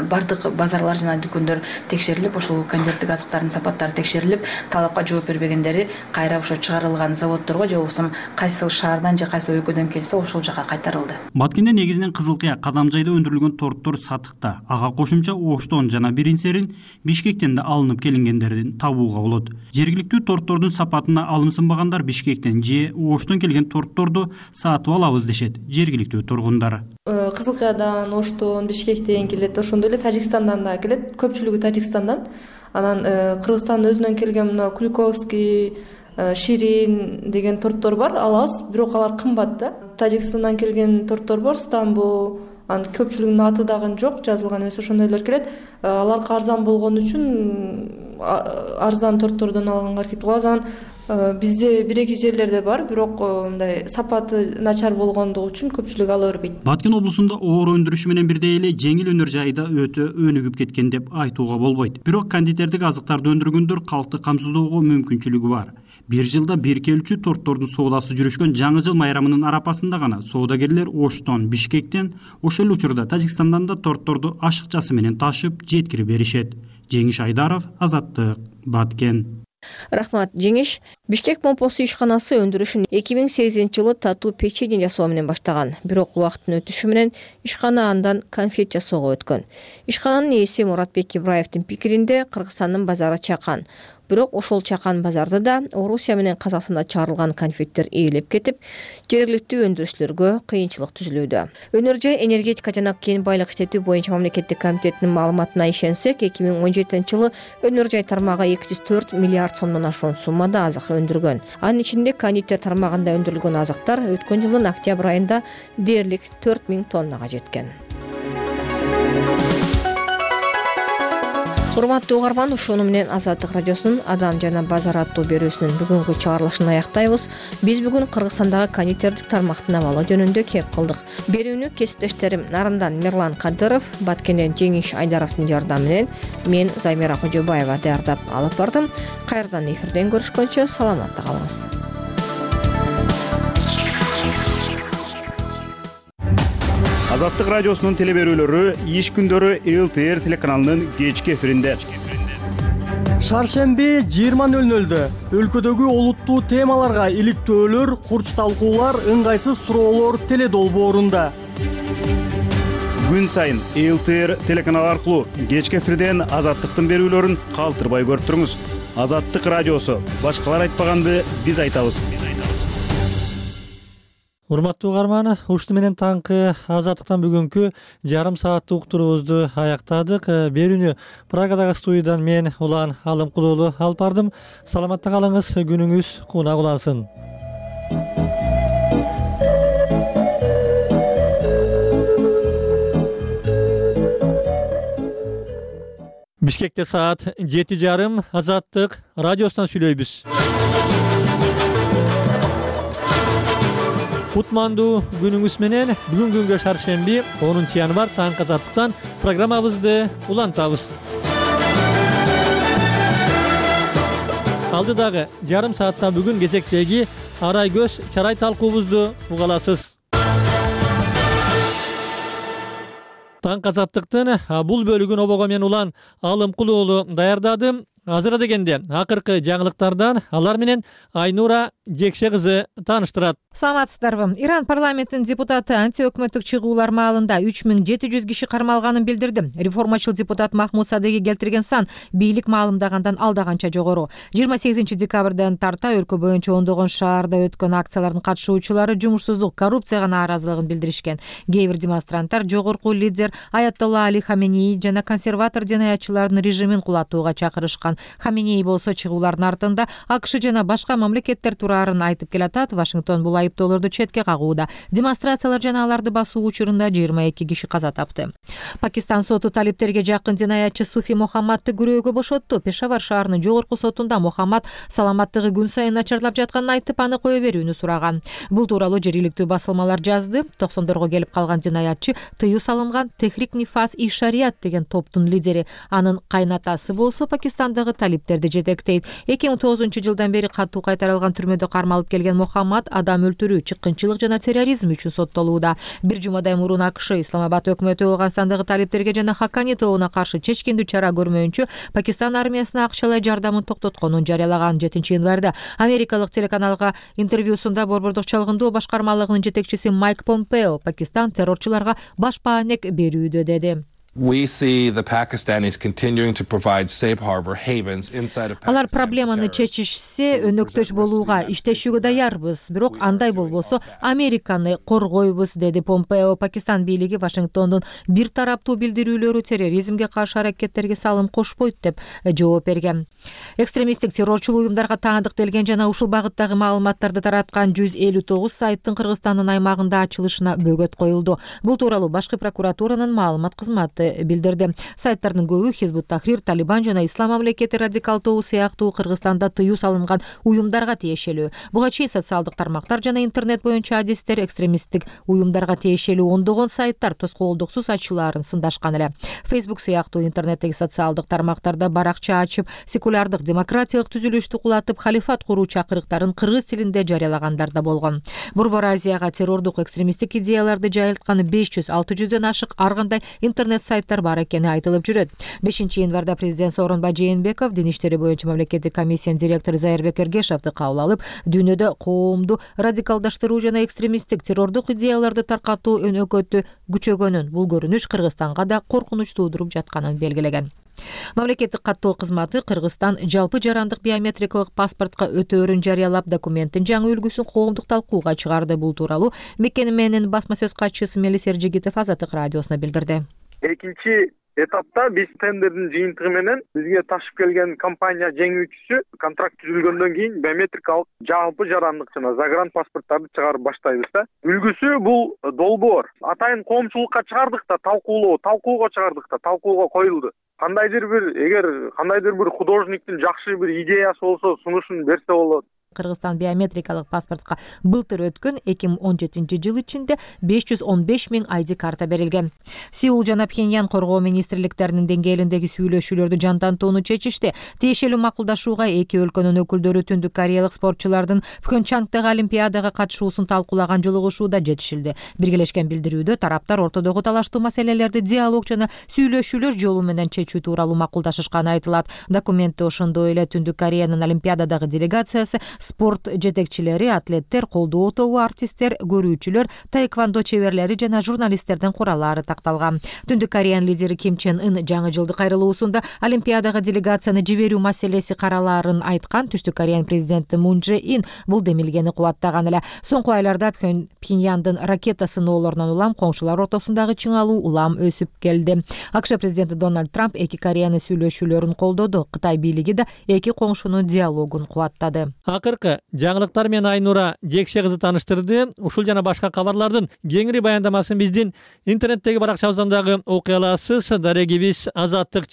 бардык базарлар жана дүкөндөр текшерилип, ошол кондитердик азыктардын сапаттары текшерилип, талапка жооп бербегендери кайра ошо чыгарылган заводдорго же болбосо кайсы шаардан же кайсы өлкөдөн келсе ошол жака кайтарылды. Баткенде негизинен Кызыл Кыя, Кадамжайда өндүрүлгөн торттор сатыкта. Ага кошумча Оштон жана Биринсерин, Бишкектен да алынып келингендердин табууга болот. Торттордун сапатына алымсынбагандар Бишкектен же Оштон келген тортторду сатып алабыз дешет жергиликтүү тургундар. Кызыл Кыядан, Оштон, Бишкектен келет, ошондой эле Тажикстандан да келет, көпчүлүгү Тажикстандан. Анан Кыргызстандын өзүнөн келген мына Куликовский, Ширин деген торттор бар, алабыз, бирок алар кымбат да. Тажикстандан келген торттор бар, Стамбул, анын көпчүлүгүнүн аты дагы жок, жазылган эмес, ошондойлор келет. Аларга арзан болгон үчүн арзан торттордон алганга аракет кылабыз. Анан бизде бир-эки жерлерде бар, бирок мындай сапаты начар болгондугу үчүн көпчүлүк ала бербейт. Баткен облусунда оор өндүрүшү менен бирдей эле жеңил өнөр жайы да өтө өнүгүп кеткен деп айтууга болбойт. Бирок кондитердик азыктарды өндүргөндөр калкты камсыздоого мүмкүнчүлүгү бар. Бир жылда бир келүүчү торттордун соодасы жүрүшкөн жаңы жыл майрамынын арапасында гана соодагерлер Оштон, Бишкектен, ошол учурда Тажикстандан да тортторду ашыкчасы менен ташып жеткирип беришет. Жеңиш Айдаров, Азаттык, Баткен. Рахмат, Жеңиш. Бишкек момпосу ишканасы өндүрүшүн 2008-жылы татуу печенье жасоо менен баштаган. Бирок убакыттын өтүшү менен ишкана андан конфет жасоого өткөн. Ишкананын ээси Муратбек Ибраевдин пикиринде Кыргызстандын базары чакан. Бирок ошол чакан базарда да Орусия менен Казакстанда чыгарылган конфеттер ээлеп кетип, жергиликтүү өндүрүүчүлөргө кыйынчылык түзүлүүдө. Өнөр жай энергетика жана кен байлык иштетүү боюнча мамлекеттик комитетинин маалыматына ишенсек, 2017-жылы өнөр жай тармагы 204 миллиард сомдон ашуун суммада азык өндүргөн. Анын ичинде кондитер тармагында өндүрүлгөн азыктар өткөн жылдын октябрь айында дээрлик 4000 тоннага жеткен. Урматтуу угарман, ушуну менен Азаттык радиосунун Адам жана базар аттуу берүүсүнүн бүгүнкү чыгарылышын аяктайбыз. Биз бүгүн Кыргызстандагы кондитердик тармактын абалы жөнүндө кеп кылдык. Берүүнү кесиптештерим Нарындан Мирлан Кадыров, Баткенден Жеңиш Айдаровдун жардамы менен мен Займира Кожобаева даярдап алып бардым. Кайрадан эфирден көрүшкөнчө саламатта калыңыз. Азаттык радиосунун телеберүүлөрү иш күндөрү ЛТР телеканалынын кечки эфиринде. Шаршемби 20:00 өлкөдөгү олуттуу темаларга иликтөөлөр, курч талкуулар, ыңгайсыз суроолор теле долбоорунда. Күн сайын ЛТР телеканалы аркылуу кечки эфирден Азаттыктын берүүлөрүн калтырбай көрүп туруңуз. Азаттык радиосу. Башкалар айтпаганды биз айтабыз. Урматтуу угарман, ушуну менен таңкы Азаттыктан бүгүнкү жарым сааттык уктуруубузду аяктадык. Берүүнү Прагадагы студиядан мен Улан Алымкулуулу алып бардым. Саламатта калыңыз, күнүңүз кунак улансын. Бишкекте саат 7:30 Азаттык радиосунан сүйлөйбүз. Кутмандуу күнүңүз менен бүгүн күнгө шаршемби 10 январь таңкы Азаттыктан программабызды улантабыз. Алдыдагы жарым саатта бүгүн кезектеги арай көз чарай талкуубузду угаласыз. Таңкы Азаттыктын бул бөлүгүн обого мен Улан Алымкулуулу даярдадым. Азыр дегенде акыркы жаңылыктардан алар менен Айнура Жекше кызы тааныштырат. Саламатсыздарбы? Иран парламентинин депутаты анти-өкмөттүк чыгуулар маалында 3700 киши кармалганын билдирди. Реформачыл депутат Махмуд Садыги келтирген сан бийлик маалымдагандан алдаганча жогору. 28 декабрдан тарта өлкө боюнча ондогон шаарда өткөн акциялардын катышуучулары жумушсуздук, коррупцияга нааразылыгын билдиришкен. Кээ бир демонстранттар жогорку лидер Аятолла Али Хаменеи жана консерватор жинаятчылардын режимин кулатууга чакырышкан. Хаменеи болсо чыгуулардын артында АКШ жана башка мамлекеттер тураарын айтып келатат. Вашингтон бул айыптоолорду четке кагууда. Демонстрациялар жана аларды басуу учурунда 22 киши каза тапты. Пакистан соту талиптерге жакын жинаятчы Суфи Мохаммадты күрөөгө бошотту. Пешавар шаарынын жогорку сотунда Мохаммад саламаттыгы күн сайын начарлап жатканын айтып, аны кое берүүнү сураган. Бул тууралуу жергиликтүү басылмалар жазды. 90дорго келип калган жинаятчы тыюу салынган Техрик Нифас и Шариат деген топтун лидери. Анын кайнатасы болсо Пакистандагы талиптерди жетектейт. 2009 жылдан бери катуу кайтарылган түрмөдө кармалып келген Мохаммад адам өлтүрүү, чыккынчылык жана терроризм үчүн соттолууда. Бир жумадай мурун АКШ Исламабад өкмөтү Афганстандагы талиптерге жана Хакани тобуна каршы чечкиндүү чара көрмөйүнчө Пакистан армиясына акчалай жардамын токтотконун жарыялаган. 7 январда америкалык телеканалга интервьюсунда Борбордук чалгындоо башкармалыгынын жетекчиси Майк Помпео Пакистан террорчуларга баш баанек берүүдө деди. We see the Pakistanis continuing to provide safe harbor havens inside of Pakistan. Алар проблеманы чечишсе, өнөктөш болууга иштешүүгө даярбыз, бирок андай болбосо Американы коргойбуз, деди Помпео. Пакистан бийлиги Вашингтондун бир тараптуу билдирүүлөрү терроризмге каршы аракеттерге салым кошпойт деп жооп берген. Экстремисттик террорчул уюмдарга таандыктелген жана ушул багыттагы маалыматтарды тараткан 159 сайттын Кыргызстандын аймагында ачылышына бөгөт коюлду. Бул тууралуу башкы прокуратуранын маалымат кызматы билдирди. Сайттардын көбү Хизбут Тахрир, Талибан жана Ислам мамлекети радикал тобу сыяктуу Кыргызстанда тыюу салынган уюмдарга тиешелүү. Буга чейин социалдык тармактар жана интернет боюнча адистер экстремисттик уюмдарга тиешелүү ондогон сайттар тоскоолдуксуз ачылаарын сындашкан эле. Facebook сыяктуу интернеттеги социалдык тармактарда баракча ачып, секулярдык демократиялык түзүлүштү кулатып, халифат куруу чакырыктарын кыргыз тилинде жарыялагандар да болгон. Борбор Азияга террордук экстремисттик идеяларды жайылткан 500-600дөн ашык ар кандай интернет сайттар бар экени айтылып жүрөт. 5 январда президент Сооронбай Жээнбеков Дин иштери боюнча мамлекеттик комиссиянын директору Зайырбек Эргешовду кабыл алып, дүйнөдө коомду радикалдаштыруу жана экстремисттик террордук идеяларды таркатуу өнөкөтү күчөгөнүн, бул көрүнүш Кыргызстанга да коркунуч туудуруп жатканын белгилеген. Мамлекеттик каттоо кызматы Кыргызстан жалпы жарандык биометрикалык паспортко өтөөрүн жарыялап, документтин жаңы үлгүсүн коомдук талкууга чыгарды. Бул тууралуу мекеменин басма сөз катчысы Мелис Эржигитов Азаттык радиосуна билдирди. Экинчи этапта биз тендердин жыйынтыгы менен бизге ташып келген компания жеңүүчүсү контракт түзүлгөндөн кийин биометрикалык жалпы жарандык жана загран паспорттарды чыгарып баштайбыз да. Үлгүсү бул долбоор. Атайын коомчулукка чыгардык да, талкууга чыгардык да, талкууга коюлду. Эгер кандайдыр бир художниктин жакшы бир идеясы болсо, сунушун берсе болот. Кыргызстан биометрикалык паспортко былтыр өткөн 2017 ичинде 515 000 ID карта берилген. Сеул жана Пхеньян коргоо министрликтеринин деңгээлиндеги сүйлөшүүлөрдү жандантууну чечишти. Тиешелүү макулдашууга эки өлкөнүн өкүлдөрү Түндүк Кореялык спортчулардын Пхенчангдагы олимпиадага катышуусун талкуулаган жолугушууда жетишилди. Биргелешкен билдирүүдө тараптар ортодогу талаштуу маселелерди диалог жана сүйлөшүүлөр жолу менен чечүү тууралуу макулдашышканы айтылат. Документте ошондой эле Түндүк Кореянын олимпиададагы делегациясы, спорт жетекчилери, атлеттер, колдоо тобу, артисттер, көрүүчүлөр, таэквондо чеберлери жана журналисттердин кураллары такталган. Түндүк Кореянын лидери Ким Чен Ын жаңы жылдык кайрылуусунда олимпиадага делегацияны жиберүү маселеси каралаарын айткан. Түштүк Кореянын президенти Мун Чжэ Ин бул демилгени кубаттаган эле. Соңку айларда Пхеньяндын ракета сыноолорунан улам коңшулар ортосундагы чыңалуу улам өсүп келди. АКШ президенти Дональд Трамп эки Кореянын сүйлөшүүлөрүн колдоду. Кытай бийлиги да эки коңшунун диалогун кубаттады. Акыркы жаңылыктар менен Айнура Жекше кызы тааныштырды. Ушул жана башка кабарлардын кеңири баяндамасын биздин интернеттеги баракчабыздан дагы окуй аласыз. Дарегибиз Азаттык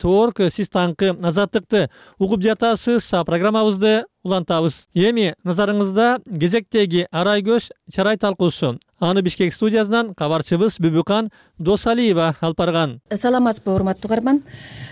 @org. Сиз таңкы Азаттыкты угуп жатасыз. Программабызды улантабыз. Эми назарыңызда кезектеги арай көз чарай талкуусу. Аны Бишкек студиясынан кабарчыбыз Бүбүкан Досалиева алып барган. Саламатсызбы, урматтуу угарман.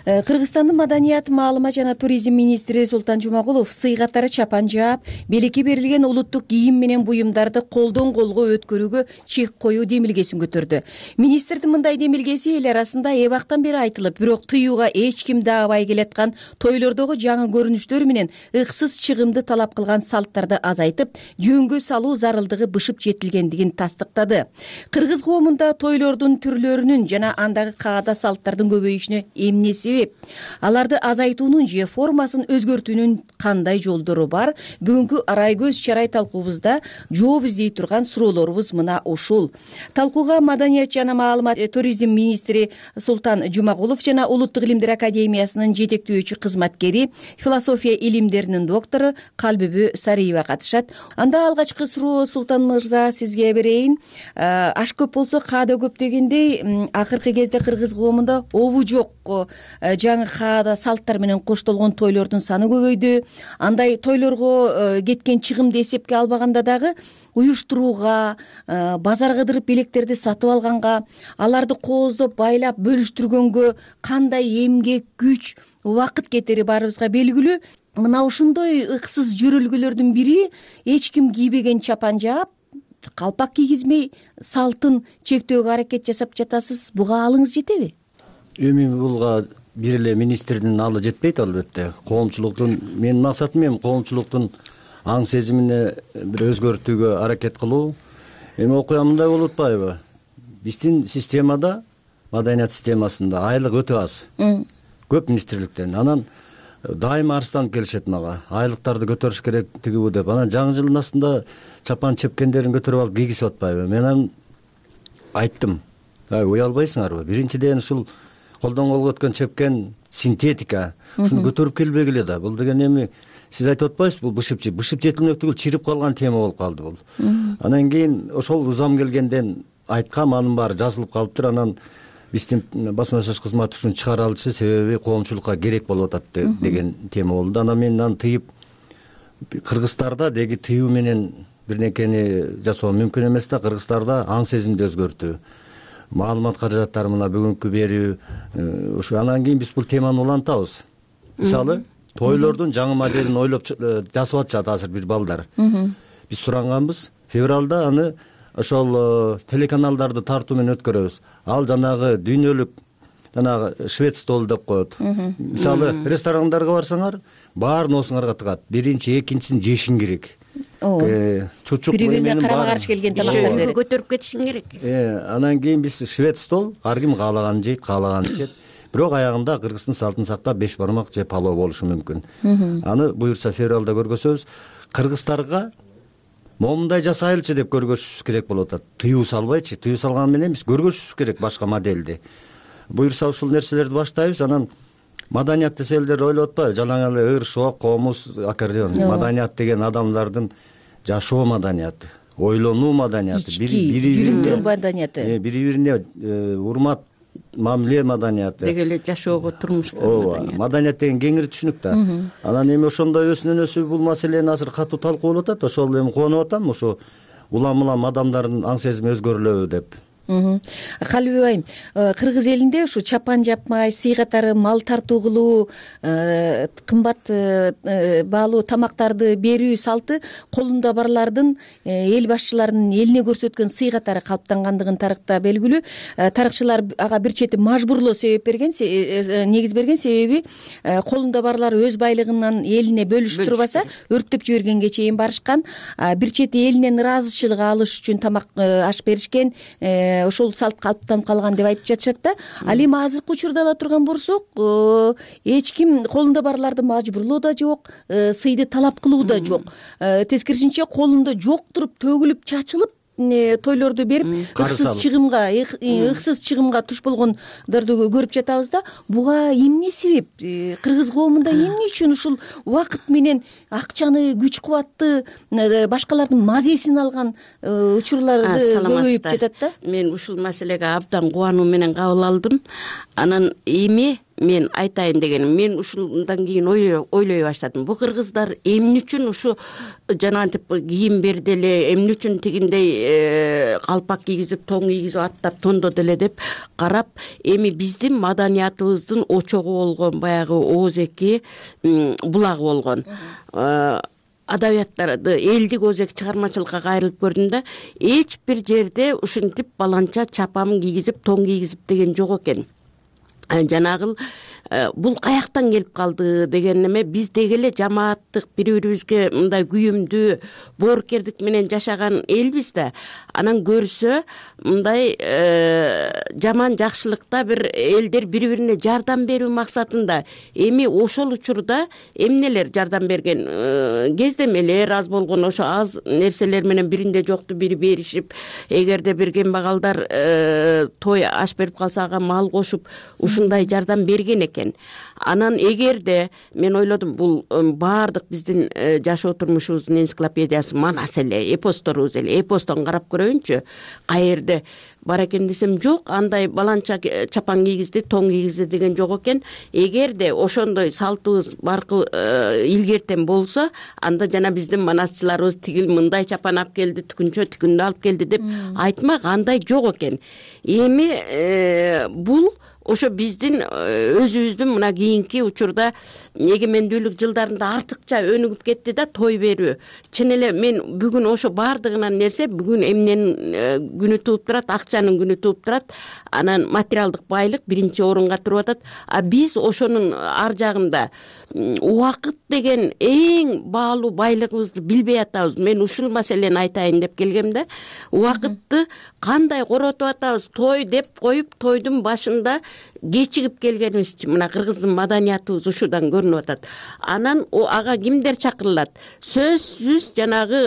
Кыргызстандын маданият, маалымат жана туризм министри Султан Жумагулов сый катары чапан жаап, белекке берилген улуттук кийим менен буюмдарды колдон колго өткөрүүгө чек коюу демилгесин көтөрдү. Министрдин мындай демилгеси эл арасында эбактан бери айтылып, бирок тыюуга эч ким даабай келаткан тойлордогу жаңы көрүнүштөр менен ыксыз чыгымды талап кылган салттарды азайтып, жөнгө салуу зарылдыгы бышып жетилгендигин тастыктады. Кыргыз коомунда тойлордун түрлөрүнүн жана андагы каада салттардын көбөйүшүнө эмне себеп? Аларды азайтуунун же формасын өзгөртүүнүн кандай жолдору бар? Бүгүнкү арай көз чарай талкуубузда жооп издей турган суроолорубуз мына ушул. Талкууга маданият жана маалымат туризм министри Султан Жумагулов жана Улуттук илимдер академиясынын жетектөөчү кызматкери, философия илимдеринин доктору Калбүбү Сариева катышат. Анда алгачкы суроо Султан мырза сизге берейин. Аш көп болсо каада көп дегендей, акыркы кезде кыргыз коомунда обу жок жаңы каада салттар менен коштолгон тойлордун саны көбөйдү. Андай тойлорго кеткен чыгымды эсепке албаганда дагы уюштурууга, базар кыдырып белектерди сатып алганга, аларды кооздоп байлап бөлүштүргөнгө кандай эмгек, күч, убакыт кетери баарыбызга белгилүү. Мына ушундой ыксыз жүрүлгөлөрдүн бири эч ким кийбеген чапан жаап, калпак кийгизмей салтын чектөөгө аракет жасап жатасыз. Буга алыңыз жетеби? Эми булга бир эле министрдин алы жетпейт албетте. Коомчулуктун менин максатым эми коомчулуктун аң сезимине бир өзгөртүүгө аракет кылуу. Эми окуя мындай болуп атпайбы? Биздин системада, маданият системасында айлык өтө аз. Көп министрликтен. Анан дайыма арызданып келишет мага. Айлыктарды көтөрүш керек тигибу деп. Анан жаңы жылдын астында чапан чепкендерин көтөрүп алып кийгизип атпайбы? Мен анан айттым. Уялбайсыңарбы? Биринчиден ушул колдон колго өткөн чепкен синтетика. Ушуну көтөрүп келбегиле да. Бул деген эми сиз айтып атпайсызбы? Бул бышып жетилмек түгүл, чирип калган тема болуп калды бул. Анан кийин ошол ызам келгенден айткам, анын баары жазылып калыптыр. Анан биздин басма сөз кызматы ушуну чыгара алчу, себеби коомчулукка керек болуп атат деген тема болду. Анан мен аны тыйып, кыргыздарда деги тыюу менен бир нерсени жасоо мүмкүн эмес да. Кыргыздарда аң сезимди өзгөртүү, маалымат каражаттары мына бүгүнкү берүү, ушу анан кийин биз бул теманы улантабыз. Мисалы, тойлордун жаңы моделин ойлоп жасап атышат азыр бир балдар. Биз суранганбыз, февралда аны ошол телеканалдарды тартуу менен өткөрөбүз. Ал жанагы дүйнөлүк жанагы швед стол деп коет. Мисалы, ресторандарга барсаңар, баарын осуңарга тыгат. Биринчи, экинчисин жешиң керек. Чучук бири-бирине карама каршы келген тамактарды көтөрүп кетишиң керек. Анан кийин биз швед стол, ар ким каалаганын жейт, каалаганын ичет. Бирок аягында Кыргыздын салтын сактап 5 бармак же палоо болушу мүмкүн. Аны буюрса февралда көргөзөбүз. Кыргыздарга момундай жасайлычы деп көргөзүшүбүз керек болуп атат. Тыюу салбайчы, тыюу салган менен биз көргөзүшүбүз керек башка модельди. буюрса ушул нерселерди баштайбыз. Анан маданият десе элдер ойлоп атпайбы, жалаң эле ыр, шок, комуз, аккордеон. Маданият деген адамдардын жашоо маданияты, ойлонуу маданияты, жүрүм маданияты, бири-бирине урмат, мамиле маданияты, деги эле жашоого, турмушка маданият. Маданият деген кеңири түшүнүк да. Анан эми ошондой өзүнөн бул маселени азыр катуу талкуулап атат. Ошол эми кубанып атам, ошо улам адамдардын аң сезими өзгөрүлөбү деп. Калыбек айым, кыргыз элинде ушу чапан жапмай, сый катары мал тартуу кылуу, кымбат баалуу тамактарды берүү салты колунда барлардын, эл башчыларынын элине көрсөткөн сый катары калыптангандыгын тарыхта белгилүү. Тарыхчылар ага бир чети мажбурлоо себеп берген, негиз берген, себеби колунда барлар өз байлыгынан элине бөлүшүп турбаса, өрттөп жибергенге чейин барышкан. Бир чети элинен ыраазычылык алыш үчүн тамак аш беришкен. Ошол салт калыптанып калган деп айтып жатышат да. Ал эми азыркы учурда ала турган болсок, эч ким колунда барларды мажбурлоо да жок, сыйды талап кылуу да жок. Тескерисинче колунда жок туруп, төгүлүп, чачылып тойлорду берип, ыксыз чыгымга туш болгондорду көрүп жатабыз да. Буга эмне себеп? Кыргыз коомунда эмне үчүн ушул убакыт менен акчаны, күч кубатты, башкалардын мазесин алган учурларды көбөйүп жатат да? Мен ушул маселеге абдан кубануу менен кабыл алдым. Анан эми мен айтайын дегеним, мен ушундан кийин ойлой баштадым. Бу кыргыздар эмне үчүн ушу жанагынтип кийим берди эле, эмне үчүн тигиндей калпак кийгизип, тоң кийгизип, аттап тондоду эле деп карап, эми биздин маданиятыбыздын очогу болгон баягы оозеки булагы болгон. Адабияттарды, элдик оозек чыгармачылыкка кайрылып көрдүм да, эч бир жерде ушинтип баланча чапан кийгизип, тоң кийгизип деген жок экен. Жанагыл бул каяктан келип калды деген эме, биз деги эле жамааттык, бири-бирибизге мындай күйүмдүү, боорукердик менен жашаган элбиз да. Анан көрсө мындай жаман жакшылыкта бир элдер бири-бирине жардам берүү максатында. Эми ошол учурда эмнелер жардам берген? Кездемелер аз болгон, ошо аз нерселер менен биринде жокту бири беришип, эгерде бир кембагалдар той аш берип калса ага мал кошуп, ушундай жардам берген экен. Анан эгерде мен ойлодум, бул баардык биздин жашоо турмушубуздун энциклопедиясы манас эле, эпосторубуз эле, эпостон карап көрөйүнчү, каерде бар экен десем, жок, андай баланча чапан кийгизди, тоң кийгизди деген жок экен. Эгерде ошондой салтыбыз баркы илгертен болсо, анда жана биздин манасчыларыбыз тигил мындай чапан алып келди, түкүнчө түкүндү алып келди деп айтмак, андай жок экен. Эми бул ошо биздин өзүбүздүн мына кийинки учурда эгемендүүлүк жылдарында артыкча өнүгүп кетти да, той берүү. Чын эле мен бүгүн ошо баардыгынан нерсе бүгүн эмненин күнү тууп турат, акчанын күнү тууп турат. Анан материалдык байлык биринчи орунга туруп атат. А биз ошонун ар жагында убакыт деген эң баалуу байлыгыбызды билбей атабыз. Мен ушул маселени айтайын деп келгем да. Убакытты кандай коротуп атабыз? Той деп коюп, тойдун башында кечигип келгенибиз мына кыргыздын маданиятыбыз ушудан көрүнүп атат. Анан ага кимдер чакырылат? Сөзсүз жанагы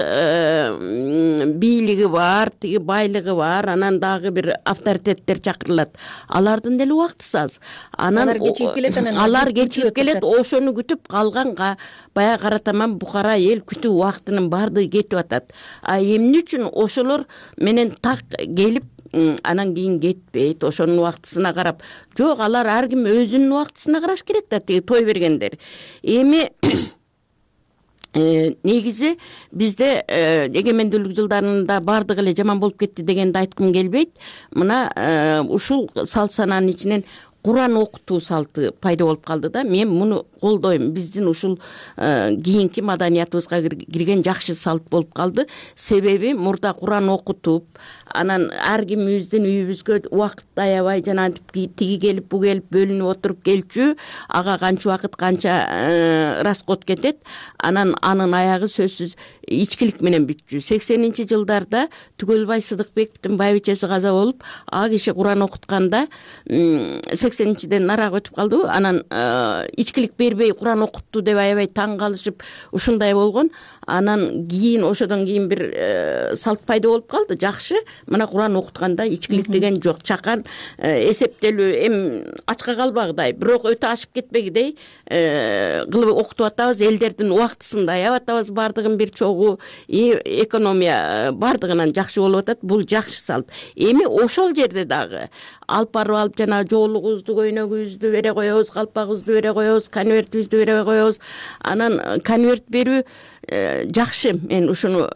бийлиги бар, тиги байлыгы бар, анан дагы бир авторитеттер чакырылат. Алардын деле убактысы аз. Анан алар кечигип келет, ошону күтүп калганга баягы кара таман букара эл күтүү убактынын баардыгы кетип атат. А эмне үчүн ошолор менен так келип анан кийин кетпейт, ошонун убактысына карап? Жок, алар ар ким өзүнүн убактысына караш керек да, тиги той бергендер. Эми негизи бизде эгемендүүлүк жылдарында баардыгы эле жаман болуп кетти дегенди айткым келбейт. Мына ушул салт санаанын ичинен Куран окутуу салты пайда болуп калды да. Мен муну колдойм. Биздин ушул кийинки маданиятыбызга кирген жакшы салт болуп калды. Себеби мурда Куран окутуп, анан ар кимибиздин үйүбүзгө убакыт аябай жанагынтип тиги келип, бу келип бөлүнүп отуруп келчү, ага канча убакыт, канча расход кетет. Анан анын аягы сөзсүз ичкилик менен бүтчү. 80-жылдарда Түгөлбай Сыдыкбековдун байбичеси каза болуп, а киши Куран окутканда 80-ден нарак өтүп калды. Анан ичкилик бербей Куран окутту деп аябай таң калышып ушундай болгон. Анан кийин ошодон кийин бир салт пайда болуп калды. Жакшы, мына Куран окутканда ичкилик деген жок. Чакан эсептелүү эми ачка калбагыдай, бирок өтө ашып кетпегидей кылып окутуп атабыз. Элдердин убактысын аябай атабыз, бардыгын бир чогуу, экономия бардыгынан жакшы болуп атат. Бул жакшы салт. Эми ошол жерде дагы алып барып алып жана жоолугубузду, көйнөгүбүздү бере коебуз, калпагыбызды бере коебуз, конвертибизди бере коебуз. Анан конверт берүү жакшы. Мен ушуну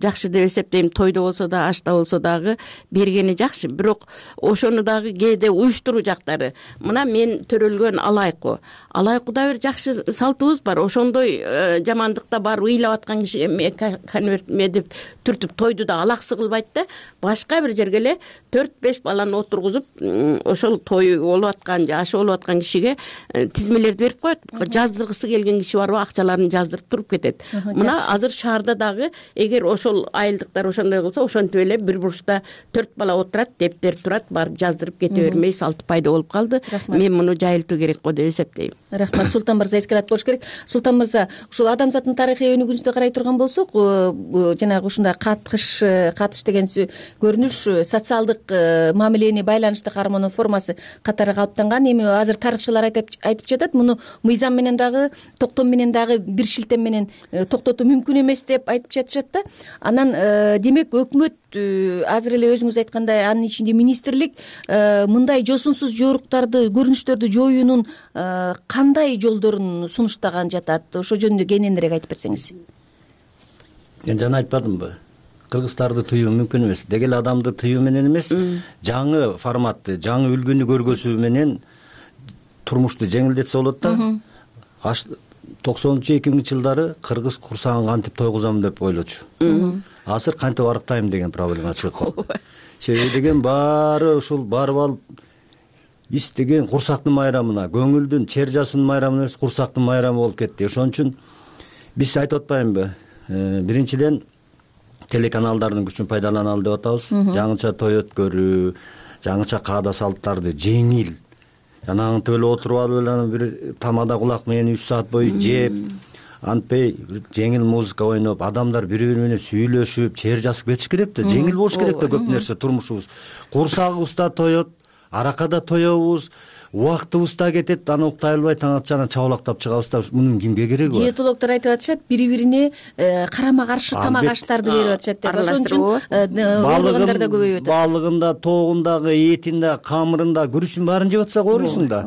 жакшы деп эсептейм. Тойдо болсо да, ашта болсо дагы бергени жакшы. Бирок ошону дагы кээде уюштуруу жактары. Мына мен төрөлгөн алайку. Алайкуда бир жакшы салтыбыз бар. Ошондой жамандыкта бар ыйлап аткан киши конверт деп түртүп тойду да алаксы кылбайт да. Башка бир жерге эле 4-5 баланы отургузуп, ошол той болуп аткан же аш болуп аткан кишиге тизмелерди берип коет. Жаздыргысы келген киши барбы, акчаларын жаздырып туруп кетет. Мына азыр шаарда дагы эгер ошол айылдыктар ошондой кылса, ошентип эле бир бурчта 4 бала отурат, дептер турат, барып жаздырып кете бермей салт пайда болуп калды. Мен муну жайылтуу керек го деп эсептейм. Рахмат. Султан мырза эскерат болуш керек. Султан мырза, ушул адамзаттын тарыхый өнүгүүсүнө карай турган болсок, жанагы ушундай катыш деген көрүнүш социалдык мамилени байланышты кармоонун формасы катары калыптанган. Эми азыр тарыхчылар айтып жатат, муну мыйзам менен дагы, токтом менен дагы бир шилтем менен токтотуу мүмкүн эмес деп айтып жатышат да. Анан демек өкмөт азыр эле өзүңүз айткандай, анын ичинде министрлик мындай жосунсуз жоруктарды, көрүнүштөрдү жоюунун кандай жолдорун сунуштаган жатат? Ошо жөнүндө кененирээк айтып берсеңиз. Мен жана айтпадымбы? Кыргыздарды тыюу мүмкүн эмес. Деги эле адамды тыюу менен эмес, жаңы форматты, жаңы үлгүнү көргөзүү менен турмушту жеңилдетсе болот да. 90-2000-жылдары кыргыз курсагын кантип тойгузам деп ойлочу. Азыр кантип арыктайм деген проблема чыгып. Себеби деген баары ушул барып алып истеген курсактын майрамына, көңүлдүн, чер жасынын майрамына эмес, курсактын майрамы болуп кетти. Ошон үчүн биз айтып атпаймынбы? Биринчиден телеканалдардын күчүн пайдаланалы деп атабыз. Жаңыча той өткөрүү, жаңыча каада салттарды жеңил, жанагынтип эле отуруп алып эле бир тамада кулак менен 3 саат бою жеп, антпей жеңил музыка ойноп, адамдар бири-бири менен сүйлөшүп, чер жасып кетиш керек да. Жеңил болуш керек да көп нерсе турмушубуз. Курсагыбыз да тоет, аракада тоебуз, убактыбыз да кетет, аны уктай албай таң атчана чабалактап чыгабыз да. Мунун кимге кереги бар? Диетологдор айтып атышат, бири-бирине карама-каршы тамак аштарды берип атышат деп. Ошон үчүн оорукандар да көбөйүп атат. Балыгында, тоогундагы, этинде, камырында, күрүчүн баарын жеп атсак оорусуң да.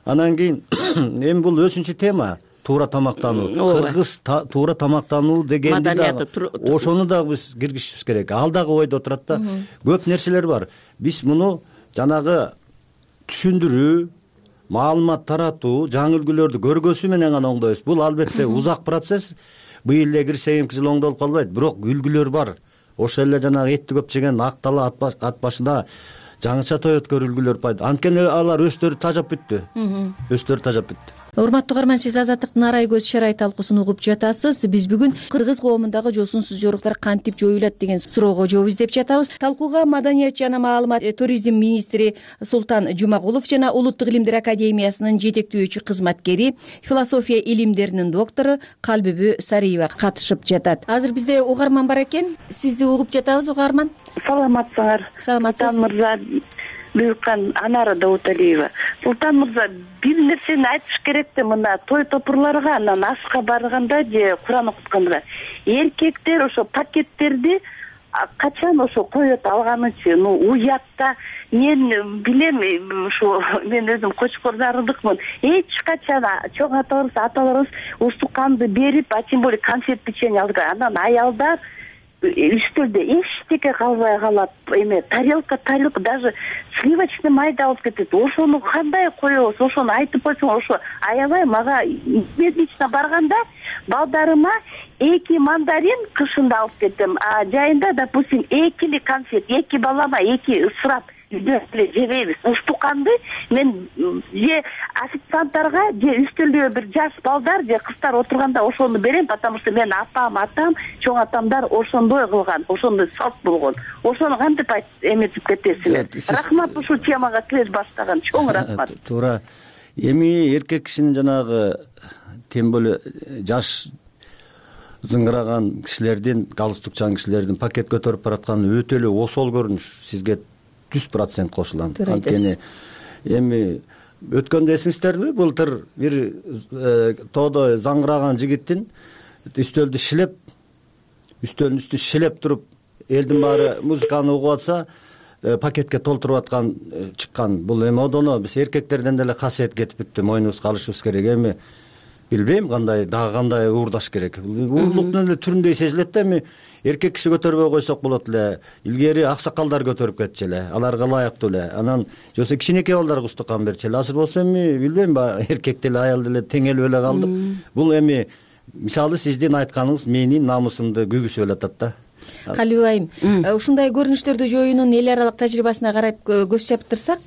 Анан кийин эми бул өсүнчү тема. Туура тамактануу. Кыргыз туура тамактануу дегенди да ошону да биз киргизишибиз керек. Ал дагы ойдо турат да. Көп нерселер бар. Биз муну жанагы түшүндүрүү, маалымат таратуу, жаңы үлгүлөрдү көргөзүү менен гана оңдойбуз. Бул албетте узак процесс. Быйыл эле кирсе эмки жыл оңдолуп калбайт, бирок үлгүлөр бар. Ошол эле жанагы этти көп жеген актала ат башында жаңыча той өткөрүү үлгүлөр пайда. Анткени алар өздөрү тажап бүттү. Өздөрү тажап бүттү. Урматтуу угарман, сиз Азаттыктын арай көз шарай талкуусун угуп жатасыз. Биз бүгүн кыргыз коомундагы жосунсуз жоруктар кантип жоюлат деген суроого жооп издеп жатабыз. Талкууга Маданият жана маалымат туризм министри Султан Жумагулов жана Улуттук илимдер академиясынын жетектөөчү кызматкери, философия илимдеринин доктору Калбүбү Сариева катышып жатат. Азыр бизде угарман бар экен. Сизди угуп жатабыз, угарман. Саламатсыңар. Саламатсыз. Султан мырза, Буюркан Анара Дауталиева. Султан мырза, бир нерсени айтыш керек да, мына той топурларга, анан ашка барганда же Куран окутканда эркектер ошо пакеттерди качан ошо коет алганычы, уятта. Мен билем, ушу мен өзүм кочкордардыкмын. Эч качан чоң аталарыбыз устуканды берип, тем более конфет печенье алган. Анан аялдар үстөлдө эчтеке калбай калат, эме тарелка, даже сливочный майды алып кетет. Ошону кандай коебуз? Ошону айтып койсоң, ошо аябай мага лично барганда балдарыма 2 мандарин кышында алып кетем, а жайында, допустим, 2 конфет, 2 балама 2 ысырап жебейбиз. Уштуканды мен же официанттарга же үстөлдө бир жаш балдар же кыздар отурганда ошону берем, потому что мен атам, чоң атамдар ошондой кылган, ошондой салт болгон. Ошону кантип эметип кетесиңер? Рахмат ушул темага кире баштаган, чоң рахмат. Туура. Эми эркек кишинин жанагы тем более жаш зыңгыраган кишилердин, галстукчан кишилердин пакет көтөрүп баратканы өтө эле осол көрүнүш. Сизге 100% кошулам. Анткени эми өткөндө эсиңиздерби, былтыр бир тоодо заңгыраган жигиттин үстөлдү шилеп, үстөлдүн үстү шилеп туруп, элдин баары музыканы угуп атса, пакетке толтуруп аткан чыккан. Бул эми одоно биз эркектерден деле касиет кетип бүттү, мойнубузга алышыбыз керек. Эми билбейм кандай уурдаш керек. Уурлуктун эле түрүндөй сезилет да, эми эркек киши көтөрбөй койсок болот эле. Илгери аксакалдар көтөрүп кетчү эле, аларга ылайыктуу эле. Анан жоксо кичинекей балдарга устукан берчү эле. Азыр болсо эми билбейм, эркек деле аял деле теңелип эле калдык. Бул эми мисалы сиздин айтканыңыз менин намысымды күйгүзүп эле атат да. Калиби айым, ушундай көрүнүштөрдү жоюунун эл аралык тажрыйбасына карап көз чаптырсак,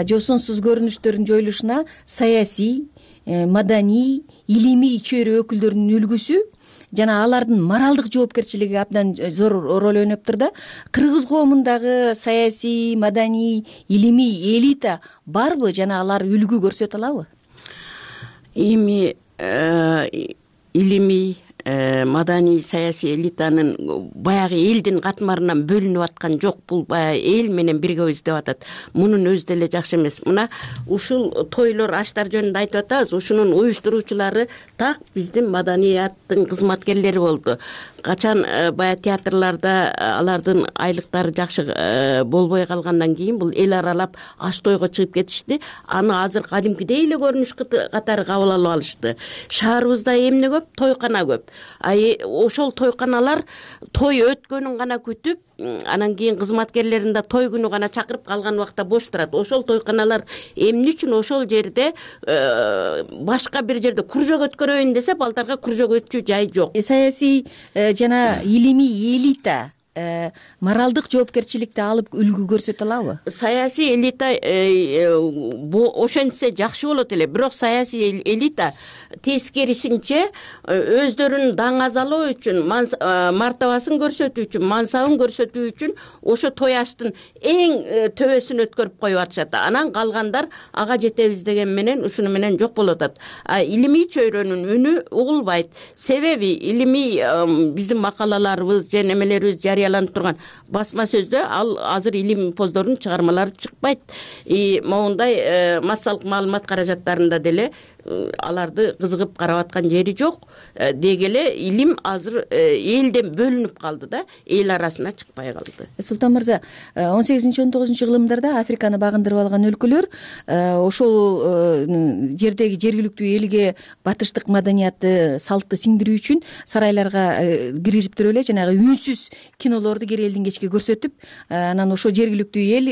жосунсуз көрүнүштөрдүн жоюлушуна саясий, маданий, илимий чөйрө өкүлдөрүнүн үлгүсү жана алардын моралдык жоопкерчилиги абдан зор роль ойноптур да. Кыргыз коомундагы саясий, маданий, илимий элита барбы жана алар үлгү көрсөтө алабы? Эми илимий, маданий, саясий элитанын баягы элдин катмарынан бөлүнүп аткан жок. Бул баягы эл менен биргебиз деп атат. Мунун өзү деле жакшы эмес. Мына ушул тойлор, аштар жөнүндө айтып атабыз. Ушунун уюштуруучулары так биздин маданияттын кызматкерлери болду. Качан баягы театрларда алардын айлыктары жакшы болбой калгандан кийин бул эл аралап аш тойго чыгып кетишти. Аны азыр кадимкидей эле көрүнүш катары кабыл алып алышты. Шаарыбызда эмне көп? Тойкана көп. Ошол тойканалар той өткөнүн гана күтүп, анан кийин кызматкерлерин да той күнү гана чакырып, калган убакта бош турат. Ошол тойканалар эмне үчүн ошол жерде башка бир жерде кружок өткөрөйүн десе, балдарга кружок өтчү жай жок. Саясий жана илимий элита моралдык жоопкерчиликти алып үлгү көрсөтө алабы? Саясий элита ошентсе жакшы болот эле, бирок саясий элита тескерисинче өздөрүнүн даңазалоо үчүн, мартабасын көрсөтүү үчүн, мансабын көрсөтүү үчүн ошо той аштын эң төбөсүн өткөрүп коюп атышат. Анан калгандар ага жетебиз деген менен ушуну менен жок болуп атат. Илимий чөйрөнүн үнү угулбайт. Себеби илимий биздин макалаларыбыз же немелерибиз жарыяланып турган басма сөздө ал азыр илим поздордун чыгармалары чыкпайт. Моундай массалык маалымат каражаттарында деле аларды кызыгып карап аткан жери жок. Деги эле илим азыр элден бөлүнүп калды да, эл арасына чыкпай калды. Султан мырза, 18-19 кылымдарда Африканы багындырып алган өлкөлөр ошол жердеги жергиликтүү элге батыштык маданиятты, салтты сиңдирүү үчүн сарайларга киргизип туруп эле жанагы үнсүз кинолорду кер элдин кечке көрсөтүп, анан ошо жергиликтүү эл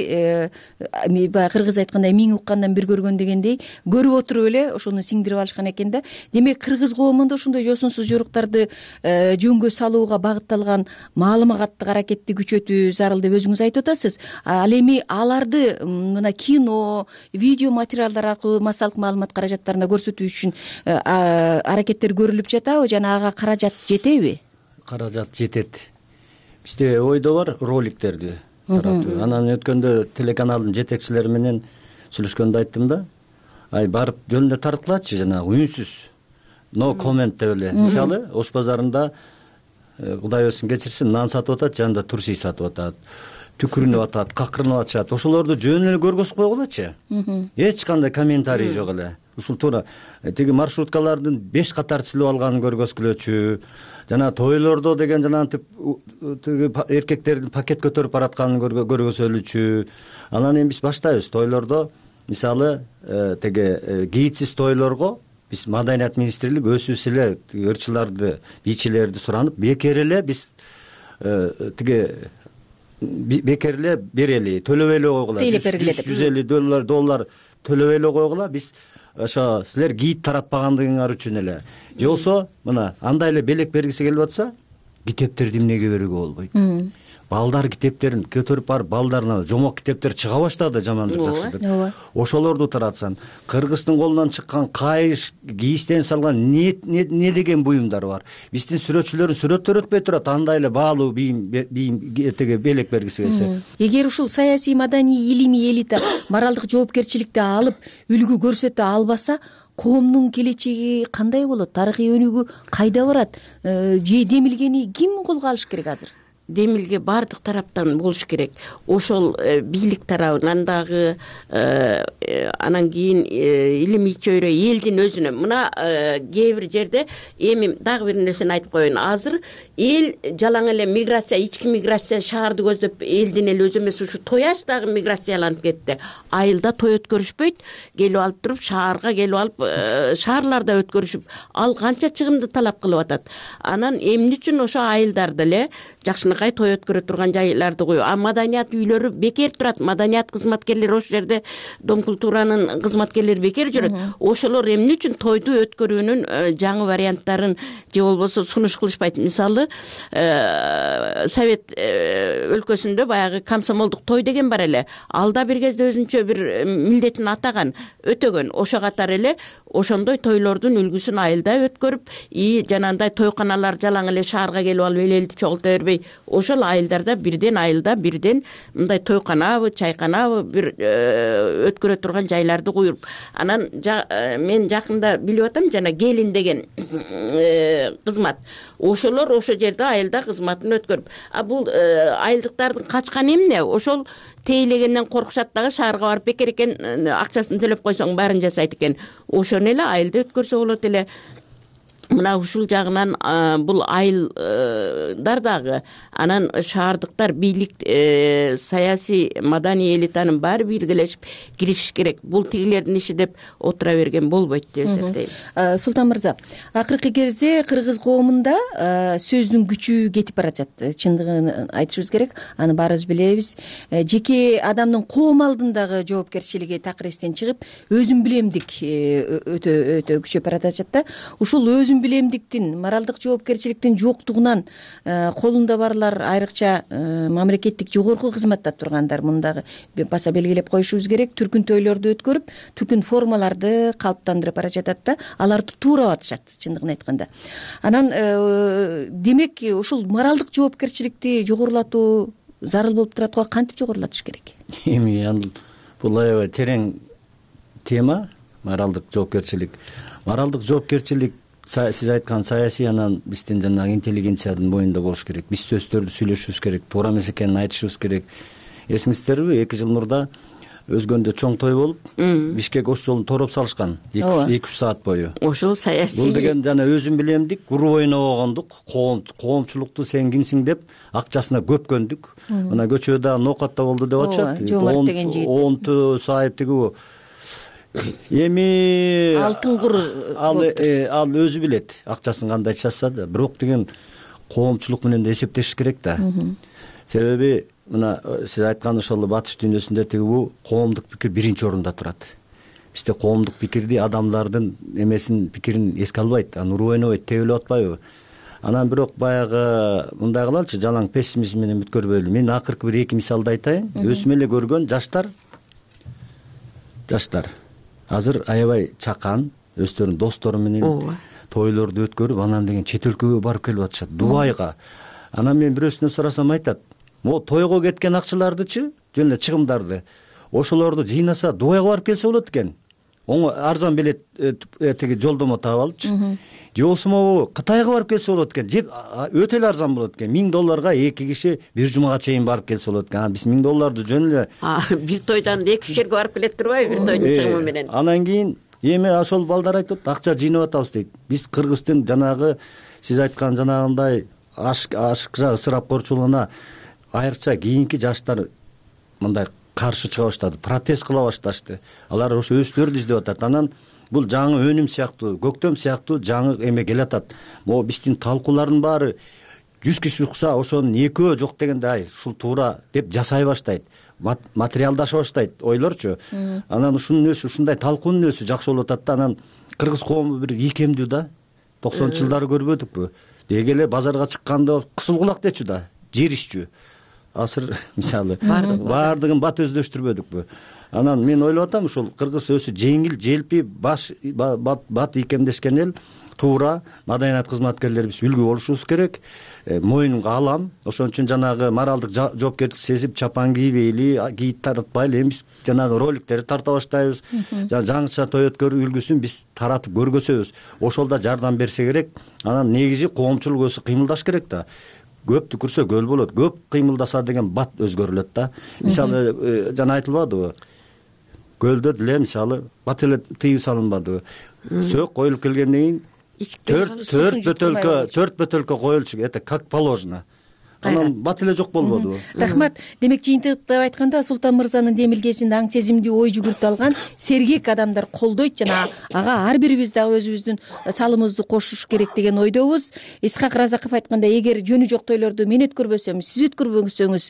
баягы кыргыз айткандай миң уккандан бир көргөн дегендей көрүп отуруп эле ошону сиңдирип алышкан экен да. Демек кыргыз коомунда ошондой жосунсуз жоруктарды жөнгө салууга багытталган маалыматтык аракетти күчөтүү зарыл деп өзүңүз айтып атасыз. Ал эми аларды мына кино, видео материалдар аркылуу массалык маалымат каражаттарында көрсөтүү үчүн аракеттер көрүлүп жатабы жана ага каражат жетеби? Каражат жетет. Бизде ойдо бар роликтерди таратуу. Анан өткөндө телеканалдын жетекчилери менен сүйлөшкөндө айттым да. Барып жөнүндө тартылачы жанагы үнсүз. No comment деп эле. Мисалы, Ош базарында Кудай өзүн кечирсин, нан сатып атат, жанында турси сатып атат. Түкүрүнүп атат, какырынып атышат. Ошолорду жөн эле көргөзүп койгулачы. Эч кандай комментарий жок эле. Ушул туура тиги маршруткалардын 5 катар силип алганын көргөзгүлөчү. Жана тойлордо деген жанагы эркектердин пакет көтөрүп баратканын көргөзөлүчү. Анан эми биз баштайбыз тойлордо. Мисалы, теге гидсиз тойлорго биз Маданият министрлиги өзүбүз эле ырчыларды, бийчилерди суранып, бекер эле биз бекер эле берели, төлөбөй эле койгула. $150 төлөбөй эле койгула. Биз ошо силер гид таратпагандыгыңар үчүн эле. Же болсо, мына андай эле белек бергиси келип атса, китептерди эмнеге берүүгө болбойт? балдар китептерин көтөрүп барып балдарына жомок китептер чыга баштады, жамандыр жакшыдыр. Ооба. Ошолорду таратсаң, Кыргыздын колунан чыккан кайыш, кийиштен салган не деген буюмдар бар. Биздин сүрөтчүлөрүн сүрөттөр өтпөй турат, андай эле баалуу бийим этеге белек бергиси келсе. Эгер ушул саясий, маданий, илимий элита моралдык жоопкерчиликти алып, үлгү көрсөтө албаса, коомдун келечеги кандай болот? Тарыхый өнүгүү кайда барат? Же демилгени ким колго алыш керек азыр? Демилге бардык тараптан болуш керек. Ошол бийлик тарабынан дагы, анан кийин илимий чөйрө элдин өзүнө. Мына кээ бир жерде эми дагы бир нерсени айтып коеюн. Азыр эл жалаң эле миграция, ички миграция шаарды көздөп элдин эле өзү эмес, ушу тояш дагы миграцияланып кетти. Айылда той өткөрүшпөйт, келип алып туруп шаарга келип алып шаарларда өткөрүшүп, ал канча чыгымды талап кылып атат. Анан эмне үчүн ошо айылдарда эле жакшынакай той өткөрө турган жайларды коюп, маданият үйлөрү бекер турат. Маданият кызматкерлери ошол жерде, Дом культуранын кызматкерлери бекер жүрөт. Ошолор эмне үчүн тойду өткөрүүнүн жаңы варианттарын же болбосо сунуш кылышпайт? Мисалы, Совет өлкөсүндө баягы комсомолдук той деген бар эле. Алда бир кезде өзүнчө бир милдетин атаган, өтөгөн. Ошо катары эле ошондой тойлордун үлгүсүн айылда өткөрүп, жанагындай тойканалар жалаң эле шаарга келип алып элди чогулта бербей, ошол айылдарда бирден мындай тойканабы, чайканабы бир өткөрө турган жайларды куюп, анан мен жакында билип атам, жана келин деген кызмат. Ошолор ошол жерде айылда кызматын өткөрүп, бул айылдыктардын качканы эмне? Ошол тейлегенден коркушат дагы, шаарга барып бекер экен, акчасын төлөп койсоң баарын жасайт экен. Ошону эле айылда өткөрсө болот эле. Мына ушул жагынан бул айылдар дагы, анан шаардыктар, бийлик, саясий, маданий элитанын баары биргелешип киришиш керек. Бул тигилердин иши деп отура берген болбойт деп эсептейм. Султан мырза, акыркы кезде кыргыз коомунда сөздүн күчү кетип бара жатат. Чындыгын айтышыбыз керек. Аны баарыбыз билебиз. Жеке адамдын коом алдындагы жоопкерчилиги такыр эстен чыгып, өзүм билемдик өтө күчөп бара жатат да. Ушул өзүм билемдиктин, моралдык жоопкерчиликтин жоктугунан колунда барлар, айрыкча мамлекеттик жогорку кызматта тургандар, мындагы баса белгилеп коюшубуз керек, түркүн тойлорду өткөрүп, түркүн формаларды калыптандырып бара жатат да, аларды туурап атышат, чындыгын айтканда. Анан демек ушул моралдык жоопкерчиликти жогорулатуу зарыл болуп турат го, кантип жогорулатыш керек? Эми бул аябай терең тема, моралдык жоопкерчилик. Моралдык жоопкерчилик сиз айткан саясий, анан биздин жанагы интеллигенциянын моюнда болуш керек. Биз сөздөрдү сүйлөшүбүз керек, туура эмес экенин айтышыбыз керек. Эсиңиздерби, 2 жыл мурда Өзгөндө чоң той болуп, Бишкек ош жолун тороп салышкан 2-3 саат бою. Ошол саясий. Бул деген жана өзүм билемдик, уру ойнобогондук, коомчулукту сен кимсиң деп акчасына көпкөндүк. Мына көчөдө ноокатта болду деп атышат. Жомарт деген жигит. Онту сайып тиги эми алтын кур ал өзү билет акчасын кандай чачса да, бирок деген коомчулук менен да эсептешиш керек да. Себеби мына сиз айткан ошол батыш дүйнөсүндө тиги коомдук пикир биринчи орунда турат. Бизде коомдук пикирди адамдардын пикирин эске албайт, аны уруу ойнобойт, тебелеп атпайбы? Анан бирок баягы мындай кылалычы, жалаң пессимизм менен бүткөрбөйлү. Мен акыркы бир 2 мисалды айтайын. Өзүм эле көргөн жаштар азыр аябай чакан, өздөрүнүн достору менен тойлорду өткөрүп, анан деген чет өлкөгө барып келип атышат, Дубайга. Анан мен бирөөсүнөн сурасам айтат, могу тойго кеткен акчалардычы, жөн эле чыгымдарды, ошолорду жыйнаса Дубайга барып келсе болот экен. Арзан билет тиги жолдомо таап алычы. Же болбосо могу Кытайга барып келсе болот экен. Же өтө эле арзан болот экен. $1000 2 киши бир жумага чейин барып келсе болот экен. Биз $1000 жөн эле бир тойдан 2 жерге барып келет турбайбы, бир тойдун чыгымы менен. Анан кийин эми ошол балдар айтып, акча жыйнап атабыз дейт. Биз Кыргыздын жанагы сиз айткан жанагындай ашыкча ысырапкорчулугуна айрыкча кийинки жаштар мындай каршы чыга баштады, протест кыла башташты. Алар ошо өзлөрү издеп атат. Анан бул жаңы өнүм сыяктуу, көктөм сыяктуу жаңы эме келатат. Могу биздин талкуулардын баары 100 киши укса, ошонун 2 жок дегенде ай ушул туура деп жасай баштайт. Материалдаша баштайт ойлорчу. Анан ушунун өзү, ушундай талкуунун өзү жакшы болуп атат да. Анан кыргыз коому бир ийкемдүү да. 90-жылдары көрбөдүкпү? Деги эле базарга чыкканда кысыл кулак дечү да, жеришчү. асыр мисалы баардыгын бат өздөштүрбөдүкпү. Анан мен ойлоп атам, ушул кыргыз өзү жеңил, желпи, бат ийкемдешкен эл, туура маданият кызматкерлерибиз үлгү болушубуз керек. Моюнга алам. Ошон үчүн жанагы моралдык жоопкерчилик сезип чапан кийбейли, кийип таратпайлы. Эми биз жанагы роликтерди тарта баштайбыз. Жаңыча той өткөрүү үлгүсүн биз таратып көргөзөбүз. Ошол да жардам берсе керек. Анан негизи коомчулук өзү кыймылдаш керек да. Көп түкүрсө көл болот. Көп кыймылдаса деген бат өзгөрүлөт да. Мисалы жана айтылбадыбы? Көлдө деле мисалы бат эле тыюу салынбадыбы? Сөөк коюлуп келгенден кийин төрт бөтөлкө коюлчу, это как положено. Анан бат эле жок болбодубу? Рахмат. Демек жыйынтыктап айтканда Султан мырзанын демилгесинде аң сезимдүү ой жүгүртүп алган сергек адамдар колдойт жана ага ар бирибиз дагы өзүбүздүн салымыбызды кошуш керек деген ойдобуз. Исхак Разаков айткандай, эгер жөнү жок тойлорду мен өткөрбөсөм, сиз өткөрбөсөңүз,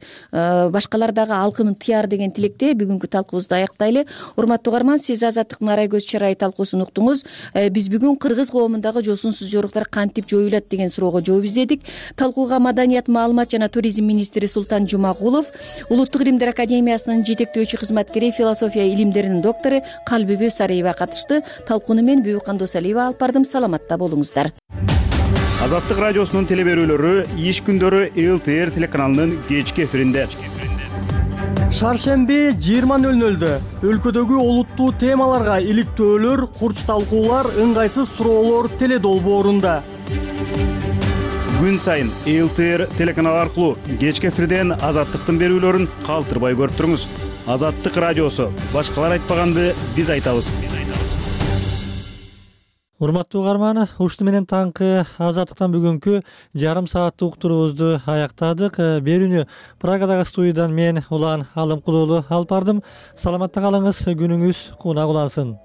башкалар дагы алкымын тыяр деген тилекте бүгүнкү талкуубузду аяктайлы. Урматтуу угарман, сиз Азаттыктын Арай көз чырайы талкуусун уктуңуз. Биз бүгүн кыргыз коомундагы жосунсуз жоруктар кантип жоюлат деген суроого жооп издедик. Талкууга маданият, маалымат жана туризм министри Султан Жумагулов, Улуттук илимдер академиясынын жетектөөчү кызматкери, философия илимдеринин доктору Калбибү Сариева катышты. Талкууну мен Бүбүкан Досалиева алып бардым. Саламатта болуңуздар. Азаттык радиосунун телеберүүлөрү иш күндөрү ЛТР телеканалынын кечки эфиринде. Шаршемби 20:00 өлкөдөгү олуттуу темаларга иликтөөлөр, курч талкуулар, ыңгайсыз суроолор теле долбоорунда. Күн сайын ЛТР телеканалы аркылуу кечки эфирден Азаттыктын берүүлөрүн калтырбай көрүп туруңуз. Азаттык радиосу. Башкалар айтпаганды биз айтабыз. Урматтуу угарман, ушуну менен таңкы Азаттыктан бүгүнкү жарым сааттык уктуруубузду аяктадык. Берүүнү Прагадагы студиядан мен Улан Алымкулуулу алып бардым. Саламатта калыңыз, күнүңүз кунак улансын.